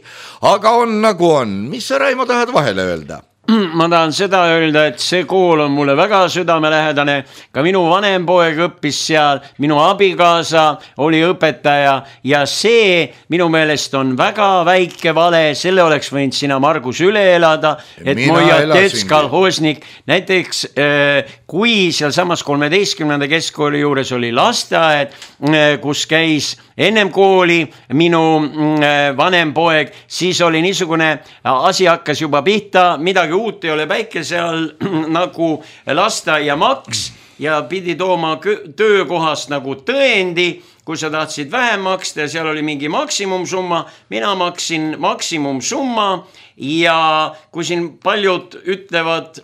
Aga on nagu on. Mis sa, Raimo, tahad vahele öelda? Ma tahan seda öelda, et see kool on mulle väga südamelähedane, ka minu vanem poeg õppis seal, minu abikaasa oli õpetaja ja see minu meelest on väga väike vale, selle oleks võinud sina, Margus, üle elada, et Moja Tets kolhosnik, näiteks kui seal samas 13. keskkooli juures oli lasteaed, kus käis ennem kooli minu vanem poeg, siis oli niisugune asi hakkas juba pihta, midagi uut ei ole päike seal nagu lasteaiamaks ja pidi tooma töökohast nagu tõendi, kui sa tahtsid vähem maksta ja seal oli mingi maksimumsumma, mina maksin maksimumsumma ja kui siin paljud ütlevad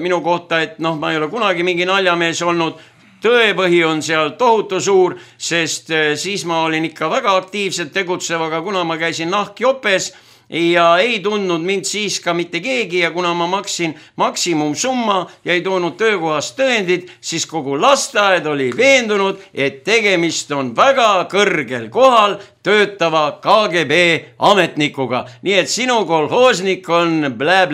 minu kohta, et ma ei ole kunagi mingi naljamees olnud, tõepõhi on seal tohutu suur, sest siis ma olin ikka väga aktiivselt tegutsev, aga kuna ma käisin nahkjopes ja ei tundnud mind siis ka mitte keegi ja kuna ma maksin maksimumsumma ja ei toonud töökohast tõendid, siis kogu lasteaed oli veendunud, et tegemist on väga kõrgel kohal töötava KGB ametnikuga. Nii et sinu kolhoosnik on blä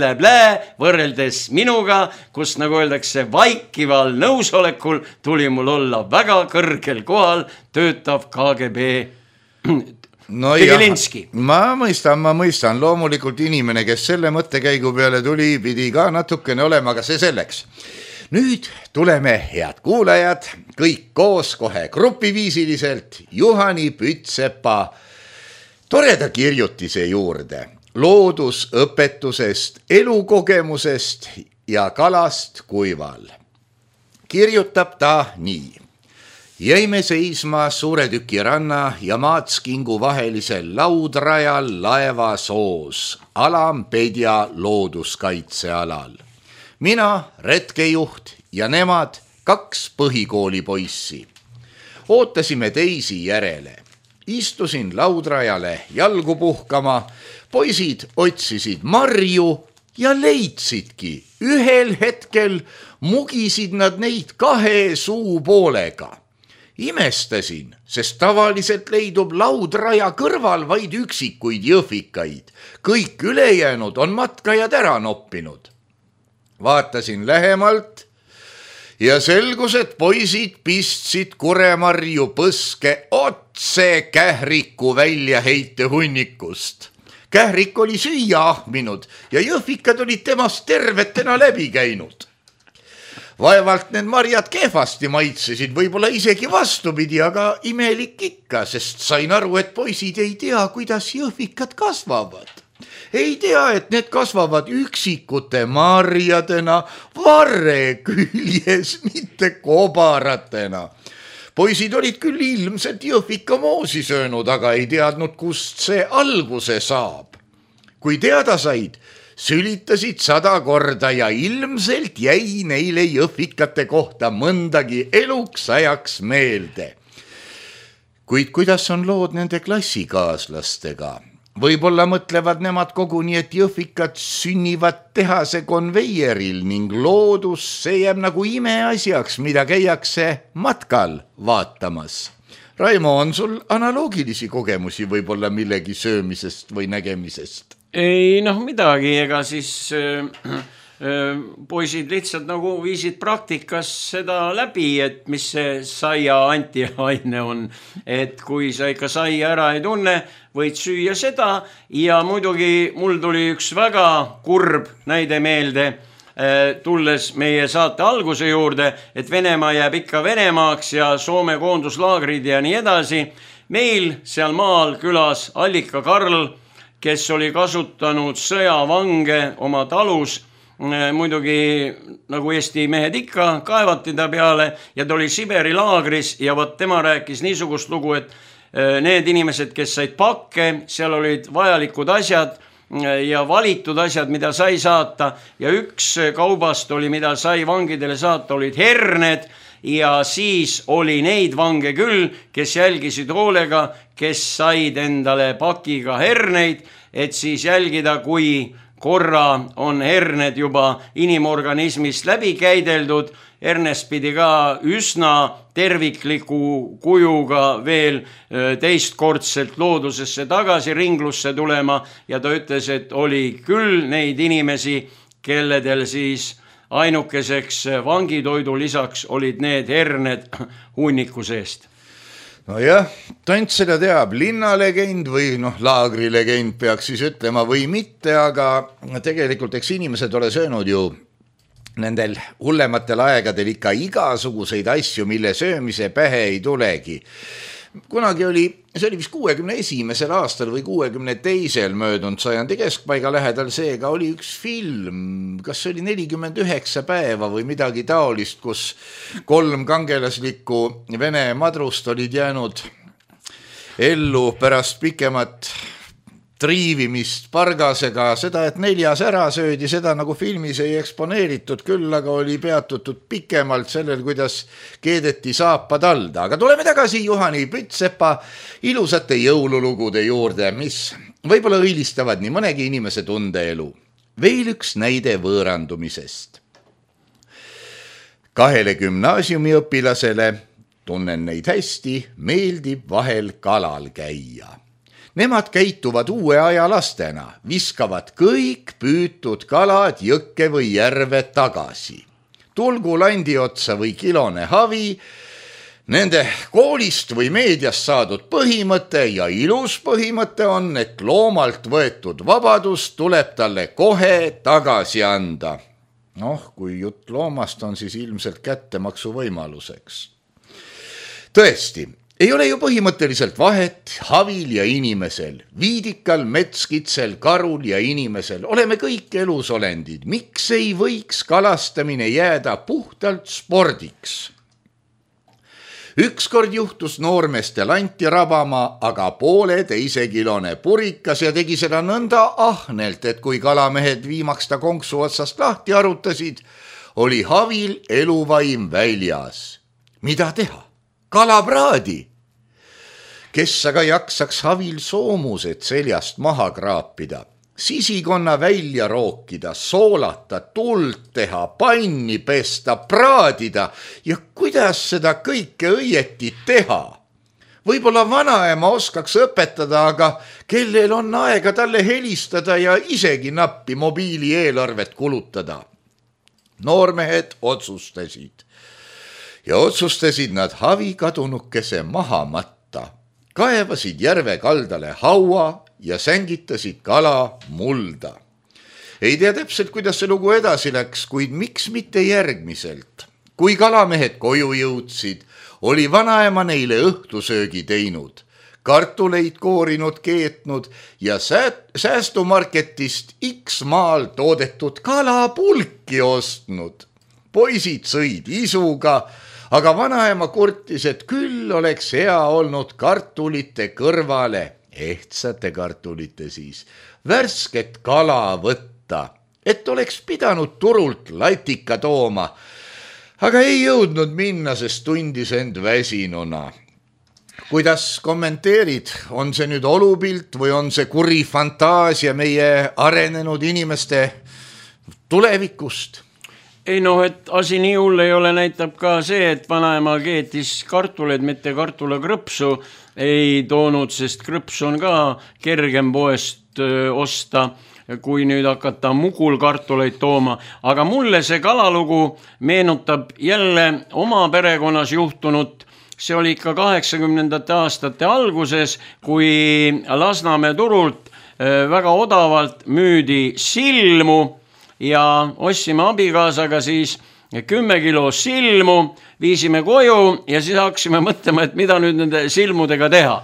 võrreldes minuga, kus nagu öeldakse vaikival nõusolekul tuli mul olla väga kõrgel kohal töötav KGB No Tegelinski. Ma mõistan, loomulikult inimene, kes selle mõttekäigu peale tuli, pidi ka natukene olema, aga see selleks. Nüüd tuleme, head kuulajad, kõik koos kohe grupiviisiliselt Juhani Pütsepa toreda kirjutise juurde loodusõpetusest, elukogemusest ja kalast kuival. Kirjutab ta nii. Jäime seisma suure tüki ranna ja Maatskingu vahelisel laudrajal laevasoos Alampedja looduskaitsealal. Mina, retkejuht ja nemad 2 põhikooli poissi. Ootasime teisi järele. Istusin laudrajale jalgu puhkama, poisid otsisid marju ja leidsidki. Ühel hetkel mugisid nad neid 2 suupoolega. Imestasin, sest tavaliselt leidub laudraja kõrval vaid üksikuid jõhvikaid. Kõik ülejäänud on matkajad ära noppinud. Vaatasin lähemalt ja selgus, et poisid pistsid kuremarju põske otse Kähriku väljaheite hunnikust. Kährik oli süüa ahminud ja jõhvikad olid temast tervetena läbi käinud. Vaevalt need marjad kehvasti maitsesid, võib-olla isegi vastupidi, aga imelik ikka, sest sain aru, et poisid ei tea, kuidas jõhvikad kasvavad. Ei tea, et need kasvavad üksikute marjadena, varre küljes, mitte kobaratena. Poisid olid küll ilmselt jõhvika moosi söönud, aga ei teadnud, kust see alguse saab. Kui teada said, sülitasid 100 korda ja ilmselt jäi neile jõhvikate kohta mõndagi eluks ajaks meelde. Kuid kuidas on lood nende klassikaaslastega? Võib-olla mõtlevad nemad koguni, et jõhvikad sünnivad tehase konveieril ning loodus see jääb nagu imeasjaks, mida käiakse matkal vaatamas. Raimo, on sul analoogilisi kogemusi võib-olla millegi söömisest või nägemisest? Ei midagi, ega siis poisid lihtsalt nagu viisid praktikas seda läbi, et mis see saia antiaine on, et kui sa ikka saia ära ei tunne, võid süüa seda ja muidugi mul tuli üks väga kurb näide meelde, tulles meie saate alguse juurde, et Venemaa jääb ikka Venemaaks ja Soome koonduslaagrid ja nii edasi. Meil seal maal külas Allika Karl, kes oli kasutanud sõjavange oma talus, muidugi nagu Eesti mehed ikka, kaevati ta peale ja ta oli Siberi laagris ja võt tema rääkis niisugust lugu, et need inimesed, kes said pakke, seal olid vajalikud asjad ja valitud asjad, mida sai saata ja üks kaubast oli, mida sai vangidele saata, olid herned ja siis oli neid vange küll, kes jälgisid hoolega, kes said endale pakiga herneid, et siis jälgida, kui korra on herned juba inimorganismist läbi käideldud, hernest pidi ka üsna tervikliku kujuga veel teistkordselt loodusesse tagasi ringlusse tulema ja ta ütles, et oli küll neid inimesi, kelledel siis ainukeseks vangitoidu lisaks olid need herned hunniku seest. Nojah, tont seda teab, linnalegend või laagrilegend peaks siis ütlema või mitte, aga tegelikult eks inimesed ole söönud ju nendel hullematel aegadel ikka igasuguseid asju, mille söömise pähe ei tulegi. Kunagi oli, see oli vist 61. aastal või 62. möödunud sajandi keskpaiga lähedal, seega oli üks film, kas see oli 49 päeva või midagi taolist, kus 3 kangelaslikku Vene madrust olid jäänud ellu pärast pikemat triivimist pargasega, seda, et 4 ära söödi, seda nagu filmis ei eksponeeritud, küll aga oli peatutud pikemalt sellel, kuidas keedeti saapad alda. Aga tuleme tagasi Juhani Pütsepa ilusate jõululugude juurde, mis võib-olla õilistavad nii mõnegi inimese tundeelu. Veel üks näide võõrandumisest. 2 gümnaasiumiõpilasele, tunnen neid hästi, meeldib vahel kalal käia. Nemad käituvad uue aja lastena, viskavad kõik püütud kalad jõkke või järve tagasi. Tulgu landi otsa või kilone havi, nende koolist või meediast saadud põhimõte ja ilus põhimõte on, et loomalt võetud vabadus tuleb talle kohe tagasi anda. Kui jutt loomast on, siis ilmselt kättemaksu võimaluseks. Tõesti, ei ole ju põhimõtteliselt vahet havil ja inimesel, viidikal, metskitsel, karul ja inimesel. Oleme kõik elusolendid. Miks ei võiks kalastamine jääda puhtalt spordiks? Ükskord juhtus noormestel Anti rabama, aga 1,5 kilone purikas ja tegi seda nõnda ahnelt, et kui kalamehed viimaks ta konksu otsast lahti arutasid, oli havil eluvaim väljas. Mida teha? Kalapraadi. Kes aga jaksaks havil soomused seljast maha kraapida, sisikonna välja rookida, soolata, tuld teha, panni pesta, praadida ja kuidas seda kõike õieti teha? Võib-olla vanaema oskaks õpetada, aga kellel on aega talle helistada ja isegi nappi mobiilieelarvet kulutada? Noormehed otsustasid ja otsustasid nad havi kadunukese maha matta. Kaevasid järve kaldale haua ja sängitasid kala mulda. Ei tea täpselt, kuidas see lugu edasi läks, kuid miks mitte järgmiselt. Kui kalamehed koju jõudsid, oli vanaema neile õhtusöögi teinud, kartuleid koorinud, keetnud ja säästumarketist X maal toodetud kalapulki ostnud. Poisid sõid isuga, aga vanaema kurtis, et küll oleks hea olnud kartulite kõrvale, ehtsate kartulite siis, värsket kala võtta, et oleks pidanud turult latika tooma, aga ei jõudnud minna, sest tundis end väsinuna. Kuidas kommenteerid, on see nüüd olupilt või on see kuri fantaasia meie arenenud inimeste tulevikust? Ei et asi nii hull ei ole, näitab ka see, et vanaema keetis kartuleid, mitte kartulakrõpsu ei toonud, sest krõps on ka kergem poest osta, kui nüüd hakata mugulkartuleid tooma. Aga mulle see kalalugu meenutab jälle oma perekonnas juhtunut. See oli ikka 80. aastate alguses, kui Lasnamäe turult väga odavalt müüdi silmu ja ostsime abikaasaga siis 10 kilo silmu, viisime koju ja siis hakkasime mõtlema, et mida nüüd nende silmudega teha.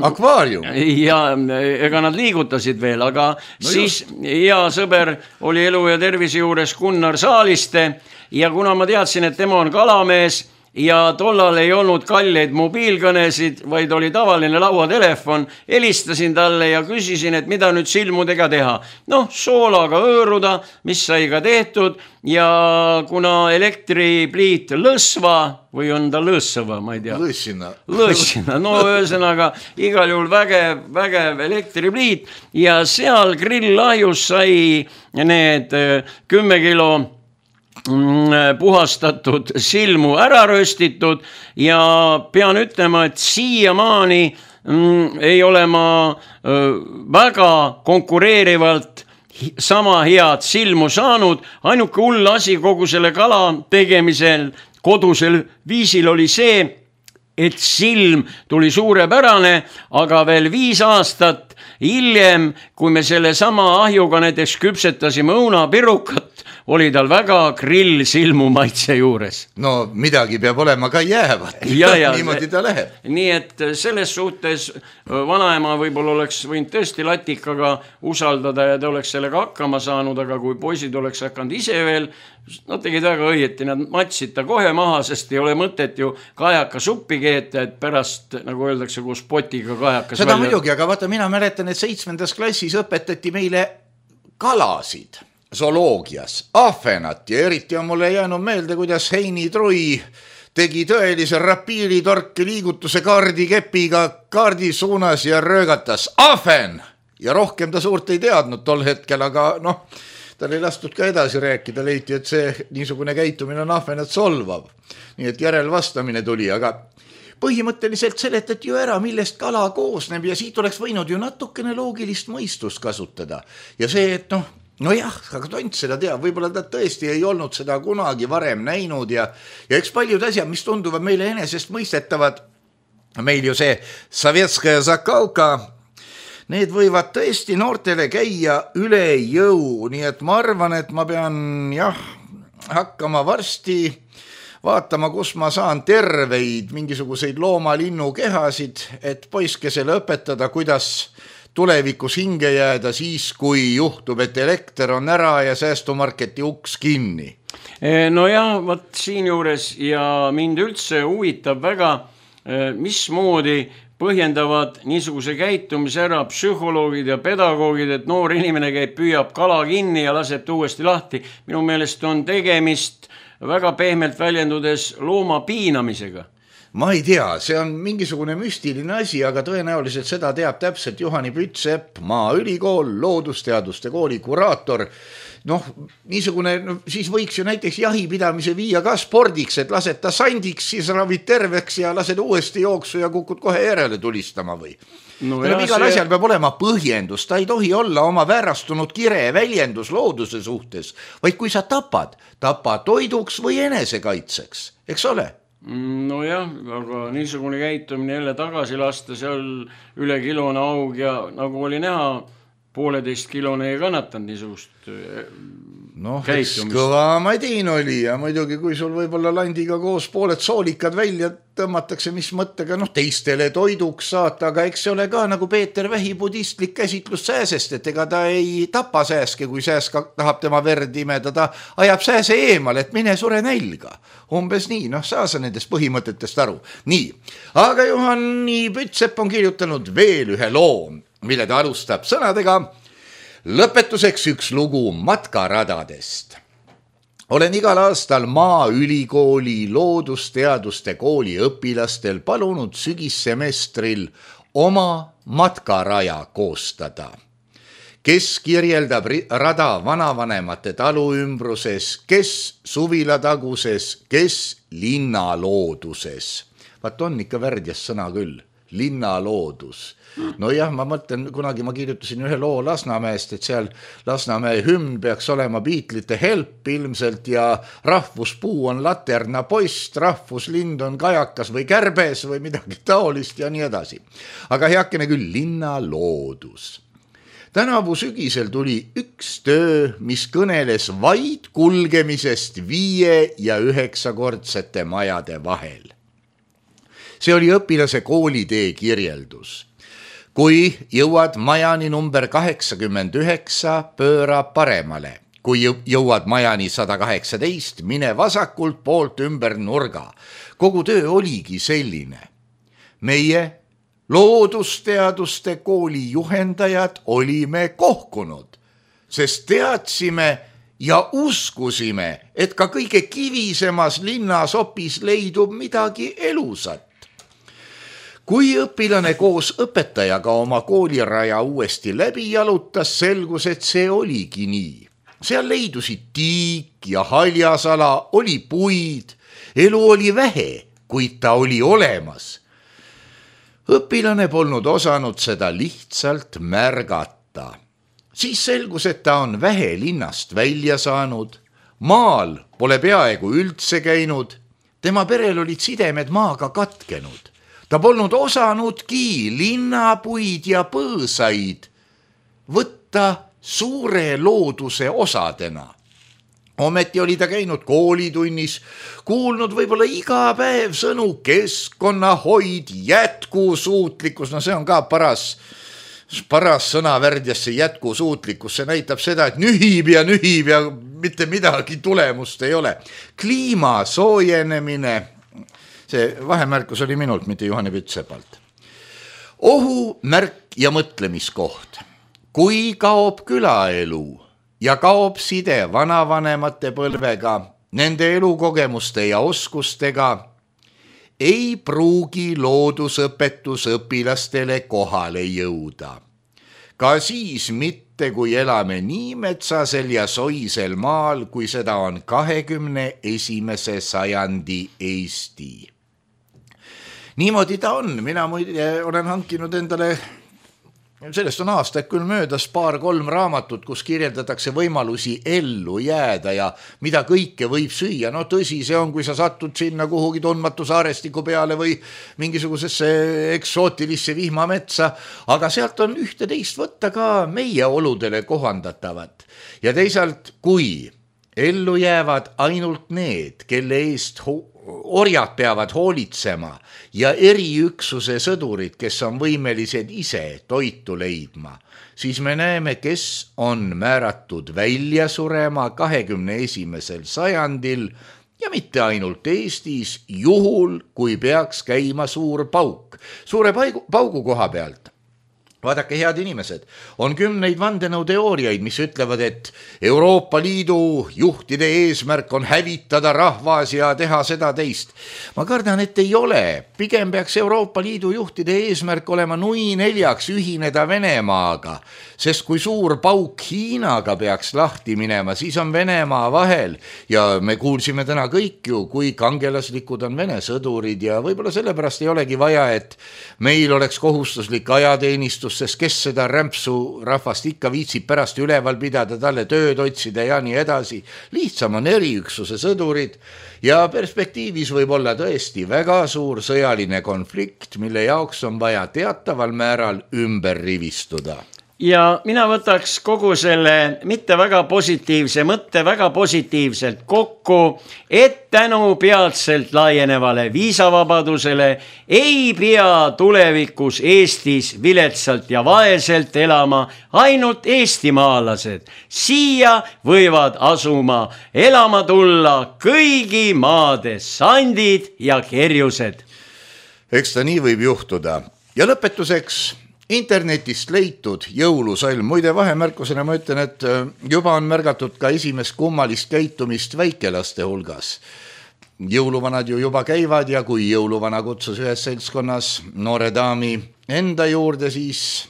akvaarium. Ja ega nad liigutasid veel, aga siis hea sõber oli Elu ja tervise juures Gunnar Saaliste ja kuna ma teadsin, et tema on kalamees ja tollal ei olnud kalleid mobiilkõnesid, vaid oli tavaline lauatelefon, helistasin talle ja küsisin, et mida nüüd silmudega teha. Noh, soolaga hõõruda, mis sai ka tehtud ja kuna elektripliit lõsva või on ta lõsva, ma ei tea. Lõssina, no ühesõnaga igal juhul vägev elektripliit ja seal grilllahjus sai need 10 kilo puhastatud silmu ära röstitud ja pean ütlema, et siiamaani ei ole ma väga konkureerivalt sama head silmu saanud. Ainuke hull asi kogu selle kala tegemisel kodusel viisil oli see, et silm tuli suurepärane, aga veel 5 aastat hiljem, kui me selle sama ahjuga näiteks küpsetasime õunapirukat, oli tal väga grill silmu maitse juures. No midagi peab olema ka jäävat. Niimoodi ta läheb. Nii et selles suhtes vanaema võib-olla oleks võinud tõesti latikaga usaldada ja ta oleks sellega hakkama saanud, aga kui poisid oleks hakanud ise veel, nad tegid väga õieti, nad matsid ta kohe maha, sest ei ole mõtet ju kajaka suppi keeta, et pärast, nagu öeldakse, kus potiga kajakas seda välja. Muidugi, aga vaata, mina mäletan, et 7. klassis õpetati meile kalasid zooloogias, ahvenat ja eriti on mulle jäänud meelde, kuidas Heini Trui tegi tõelise rapiilitorki liigutuse kaardikepiga kaardi suunas ja röögatas ahven ja rohkem ta suurt ei teadnud tol hetkel, aga noh, tal ei lastud ka edasi rääkida, leiti, et see niisugune käitumine on ahvenat solvav. Nii et järelvastamine tuli, aga põhimõtteliselt seletati ju ära, millest kala koosneb ja siit oleks võinud ju natukene loogilist mõistust kasutada ja see, et nojah, aga tont seda teab, võib-olla ta tõesti ei olnud seda kunagi varem näinud ja eks paljud asjad, mis tunduvad meile enesest mõistetavad, meil ju see Sovetskaja Zakauka, need võivad tõesti noortele käia üle jõu, nii et ma arvan, et ma pean hakkama varsti vaatama, kus ma saan terveid mingisuguseid looma-linnu kehasid, et poiskesele õpetada, kuidas tulevikus hinge jääda siis, kui juhtub, et elekter on ära ja säästumarketi uks kinni. No jah, võt siin juures ja mind üldse huvitab väga, mismoodi põhjendavad niisuguse käitumise ära psühholoogid ja pedagoogid, et noor inimene käib, püüab kala kinni ja laseb ta uuesti lahti. Minu meelest on tegemist väga pehmelt väljendudes looma piinamisega. Ma ei tea, see on mingisugune müstiline asi, aga tõenäoliselt seda teab täpselt Juhani Pütsepp, Maaülikool, loodusteaduste kooli kuraator. Noh, niisugune, siis võiks ju näiteks jahipidamise viia ka spordiks, et lased ta sandiks, siis ravid terveks ja lased uuesti jooksu ja kukud kohe järele tulistama või. Igal asjal peab olema põhjendus, ta ei tohi olla oma väärastunud kire väljendus looduse suhtes, vaid kui sa tapa toiduks või enesekaitseks, eks ole? Nojah, aga niisugune käitumine jälle tagasi lasta, seal üle kilone aug ja nagu oli näha, 1,5 kilone ei kannatanud niisugust käitumist. Kõva madin oli ja muidugi, kui sul võib-olla landiga koos pooled soolikad välja tõmmatakse, mis mõttega teistele toiduks saata, aga eks see ole ka nagu Peeter Vähi budistlik käsitlus sääsest, et ega ta ei tapa sääske, kui sääsk tahab tema verd imeda, ta ajab sääse eemal, et mine sure nälga. Umbes nii, saa sa nendest põhimõtetest aru. Nii, aga Juhani Pütsepp on kirjutanud veel ühe loo, mille ta alustab sõnadega. Lõpetuseks üks lugu matkaradadest. Olen igal aastal Maaülikooli loodusteaduste kooli õpilastel palunud sügissemestril oma matkaraja koostada. Kes kirjeldab rada vanavanemate talu ümbruses, kes suvilataguses, kes linnalooduses. Vaat on ikka värdjas sõna küll, linnaloodus. Nojah, ma mõtlen, kunagi ma kirjutasin ühe loo Lasnamäest, et seal Lasnamäe hümn peaks olema Beatlesite Help ilmselt ja rahvuspuu on laterna post, rahvuslind on kajakas või kärbes või midagi taolist ja nii edasi. Aga heakene küll, linnaloodus. Tänavu sügisel tuli üks töö, mis kõneles vaid kulgemisest 5- ja 9-kordsete majade vahel. See oli õpilase koolitee kirjeldus. Kui jõuad majani number 89, pööra paremale. Kui jõuad majani 118, mine vasakult poolt ümber nurga. Kogu töö oligi selline. Meie loodusteaduste kooli juhendajad olime kohkunud, sest teadsime ja uskusime, et ka kõige kivisemas linnasopis leidub midagi elusat. Kui õpilane koos õpetajaga oma kooliraja uuesti läbi jalutas, selgus, et see oligi nii. Seal leidusid tiik ja haljasala, oli puid, elu oli vähe, kuid ta oli olemas. Õpilane polnud osanud seda lihtsalt märgata. Siis selgus, et ta on vähe linnast välja saanud, maal pole peaaegu üldse käinud, tema perel olid sidemed maaga katkenud. Ta polnud osanudki linnapuid ja põõsaid võtta suure looduse osadena. Ometi oli ta käinud koolitunnis, kuulnud võib-olla iga päev sõnu keskkonnahoid, jätkusuutlikkus, no see on ka paras sõnavärd ja see jätkusuutlikkus, see näitab seda, et nühib ja mitte midagi tulemust ei ole. Kliima soojenemine, see vahemärkus oli minult, mitte Juhani Pütsepalt. Ohumärk ja mõtlemiskoht. Kui kaob külaelu ja kaob side vanavanemate põlvega, nende elukogemuste ja oskustega, ei pruugi loodusõpetus õpilastele kohale jõuda. Ka siis mitte, kui elame nii metsasel ja soisel maal, kui seda on 21. sajandi Eesti. Niimoodi ta on, mina olen hankinud endale, sellest on aastaid küll möödas 2-3 raamatut, kus kirjeldatakse võimalusi ellu jääda ja mida kõike võib süüa. No tõsi, see on, kui sa satud sinna kuhugi tundmatu saarestiku peale või mingisugusesse eksootilisse vihmametsa, aga sealt on ühte-teist võtta ka meie oludele kohandatavat. Ja teisalt, kui ellu jäävad ainult need, kelle eest orjad peavad hoolitsema ja eriüksuse sõdurid, kes on võimelised ise toitu leidma, siis me näeme, kes on määratud välja surema 21. sajandil ja mitte ainult Eestis, juhul kui peaks käima suur pauk. Suure paugu koha pealt. Vaadake, head inimesed, on 10 vandenõuteooriaid, mis ütlevad, et Euroopa Liidu juhtide eesmärk on hävitada rahvas ja teha seda teist. Ma kardan, et ei ole. Pigem peaks Euroopa Liidu juhtide eesmärk olema nui 4 ühineda Venemaaga, sest kui suur pauk Hiinaga peaks lahti minema, siis on Venemaa vahel ja me kuulsime täna kõik ju, kui kangelaslikud on Vene sõdurid ja võib-olla sellepärast ei olegi vaja, et meil oleks kohustuslik ajateenistus, sest kes seda rämpsu rahvast ikka viitsib pärast üleval pidada, talle tööd otsida ja nii edasi. Lihtsam on eriüksuse sõdurid ja perspektiivis võib olla tõesti väga suur sõjaline konflikt, mille jaoks on vaja teataval määral ümber rivistuda. Ja mina võtaks kogu selle mitte väga positiivse mõtte väga positiivselt kokku, et tänu peatselt laienevale viisavabadusele ei pea tulevikus Eestis viletsalt ja vaeselt elama ainult eestimaalased. Siia võivad asuma elama tulla kõigi maade sandid ja kerjused. Eks ta nii võib juhtuda. Ja lõpetuseks internetist leitud jõulusalm. Muide, vahemärkusena ma ütlen, et juba on märgatud ka esimest kummalist käitumist väikelaste hulgas. Jõuluvanad ju juba käivad ja kui jõuluvana kutsus ühes seltskonnas noore daami enda juurde, siis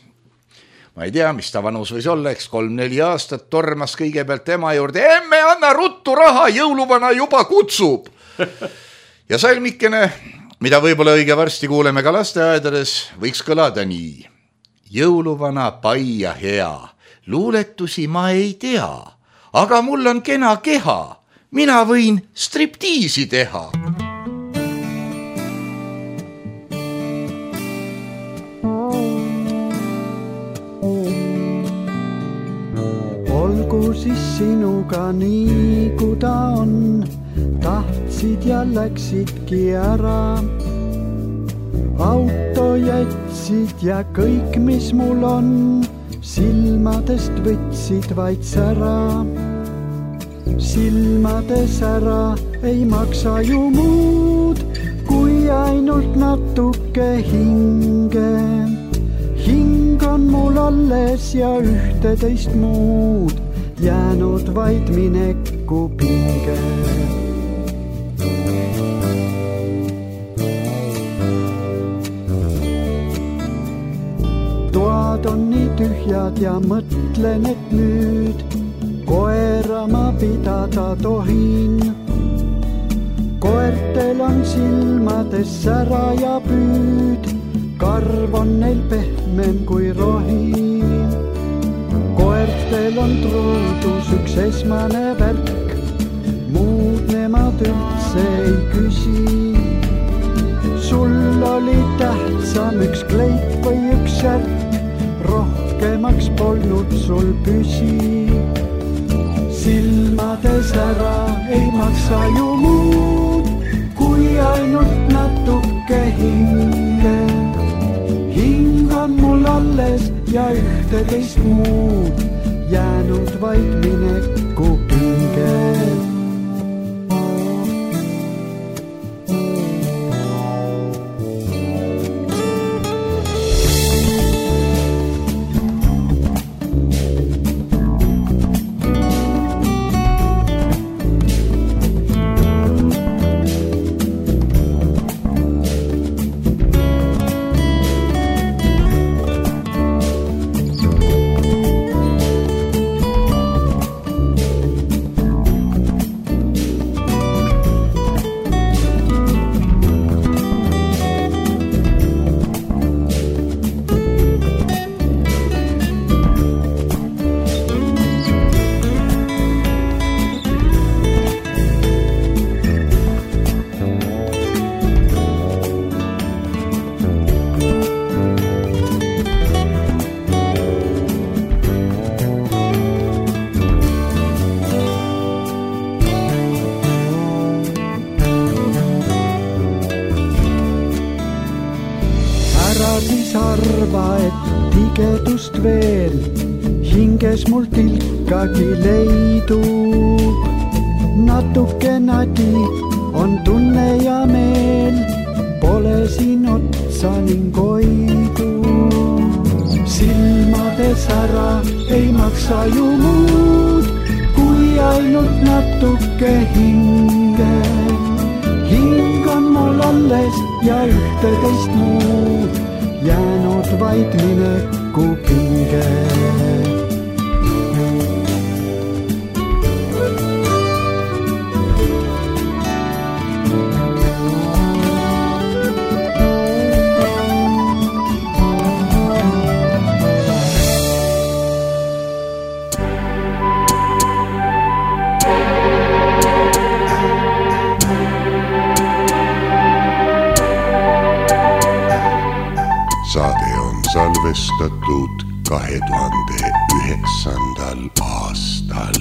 ma ei tea, mis ta vanus võis olla, eks 3-4 aastat, tormas kõigepealt tema juurde. Emme, anna ruttu raha, jõuluvana juba kutsub. Ja salmikene, mida võib-olla õige varsti kuuleme ka lasteaedades, võiks kõlada nii. Jõuluvana pai ja hea, luuletusi ma ei tea, aga mul on kena keha, mina võin striptiisi teha. Olgu siis sinuga nii, kui ta on, tahtsid ja läksidki ära. auto jätsid ja kõik, mis mul on, silmadest võtsid vaid sära. Silmades ära ei maksa ju muud, kui ainult natuke hinge. Hing on mul alles ja ühteteist muud, jäänud vaid mineku pinge. Toad on nii tühjad ja mõtlen, et nüüd koera ma pidada tohin. Koertel on silmades sära ja püüd, karv on neil pehmem kui rohi. Koertel on truudus üks esmane värk, muud nemad üldse ei küsi. Sul oli tähtsam üks kleit või üks särk, rohkemaks polnud sul püsi. Silmades ära ei maksa ju muud, kui ainult natuke hinge. Hing on mul alles ja ühteteist muud, jäänud vaid mineku pinge. Arva, et tigedust veel hinges mul tilkagi leidub. Natuke nadi on tunne ja meel, pole siin otsa ning oidu. Silmades ära ei maksa ju muud, kui ainult natuke hinge. Hing on mul alles ja ühteteist muud, jäänud vaid mineku pinge. Saade on salvestatud 2009. aastal.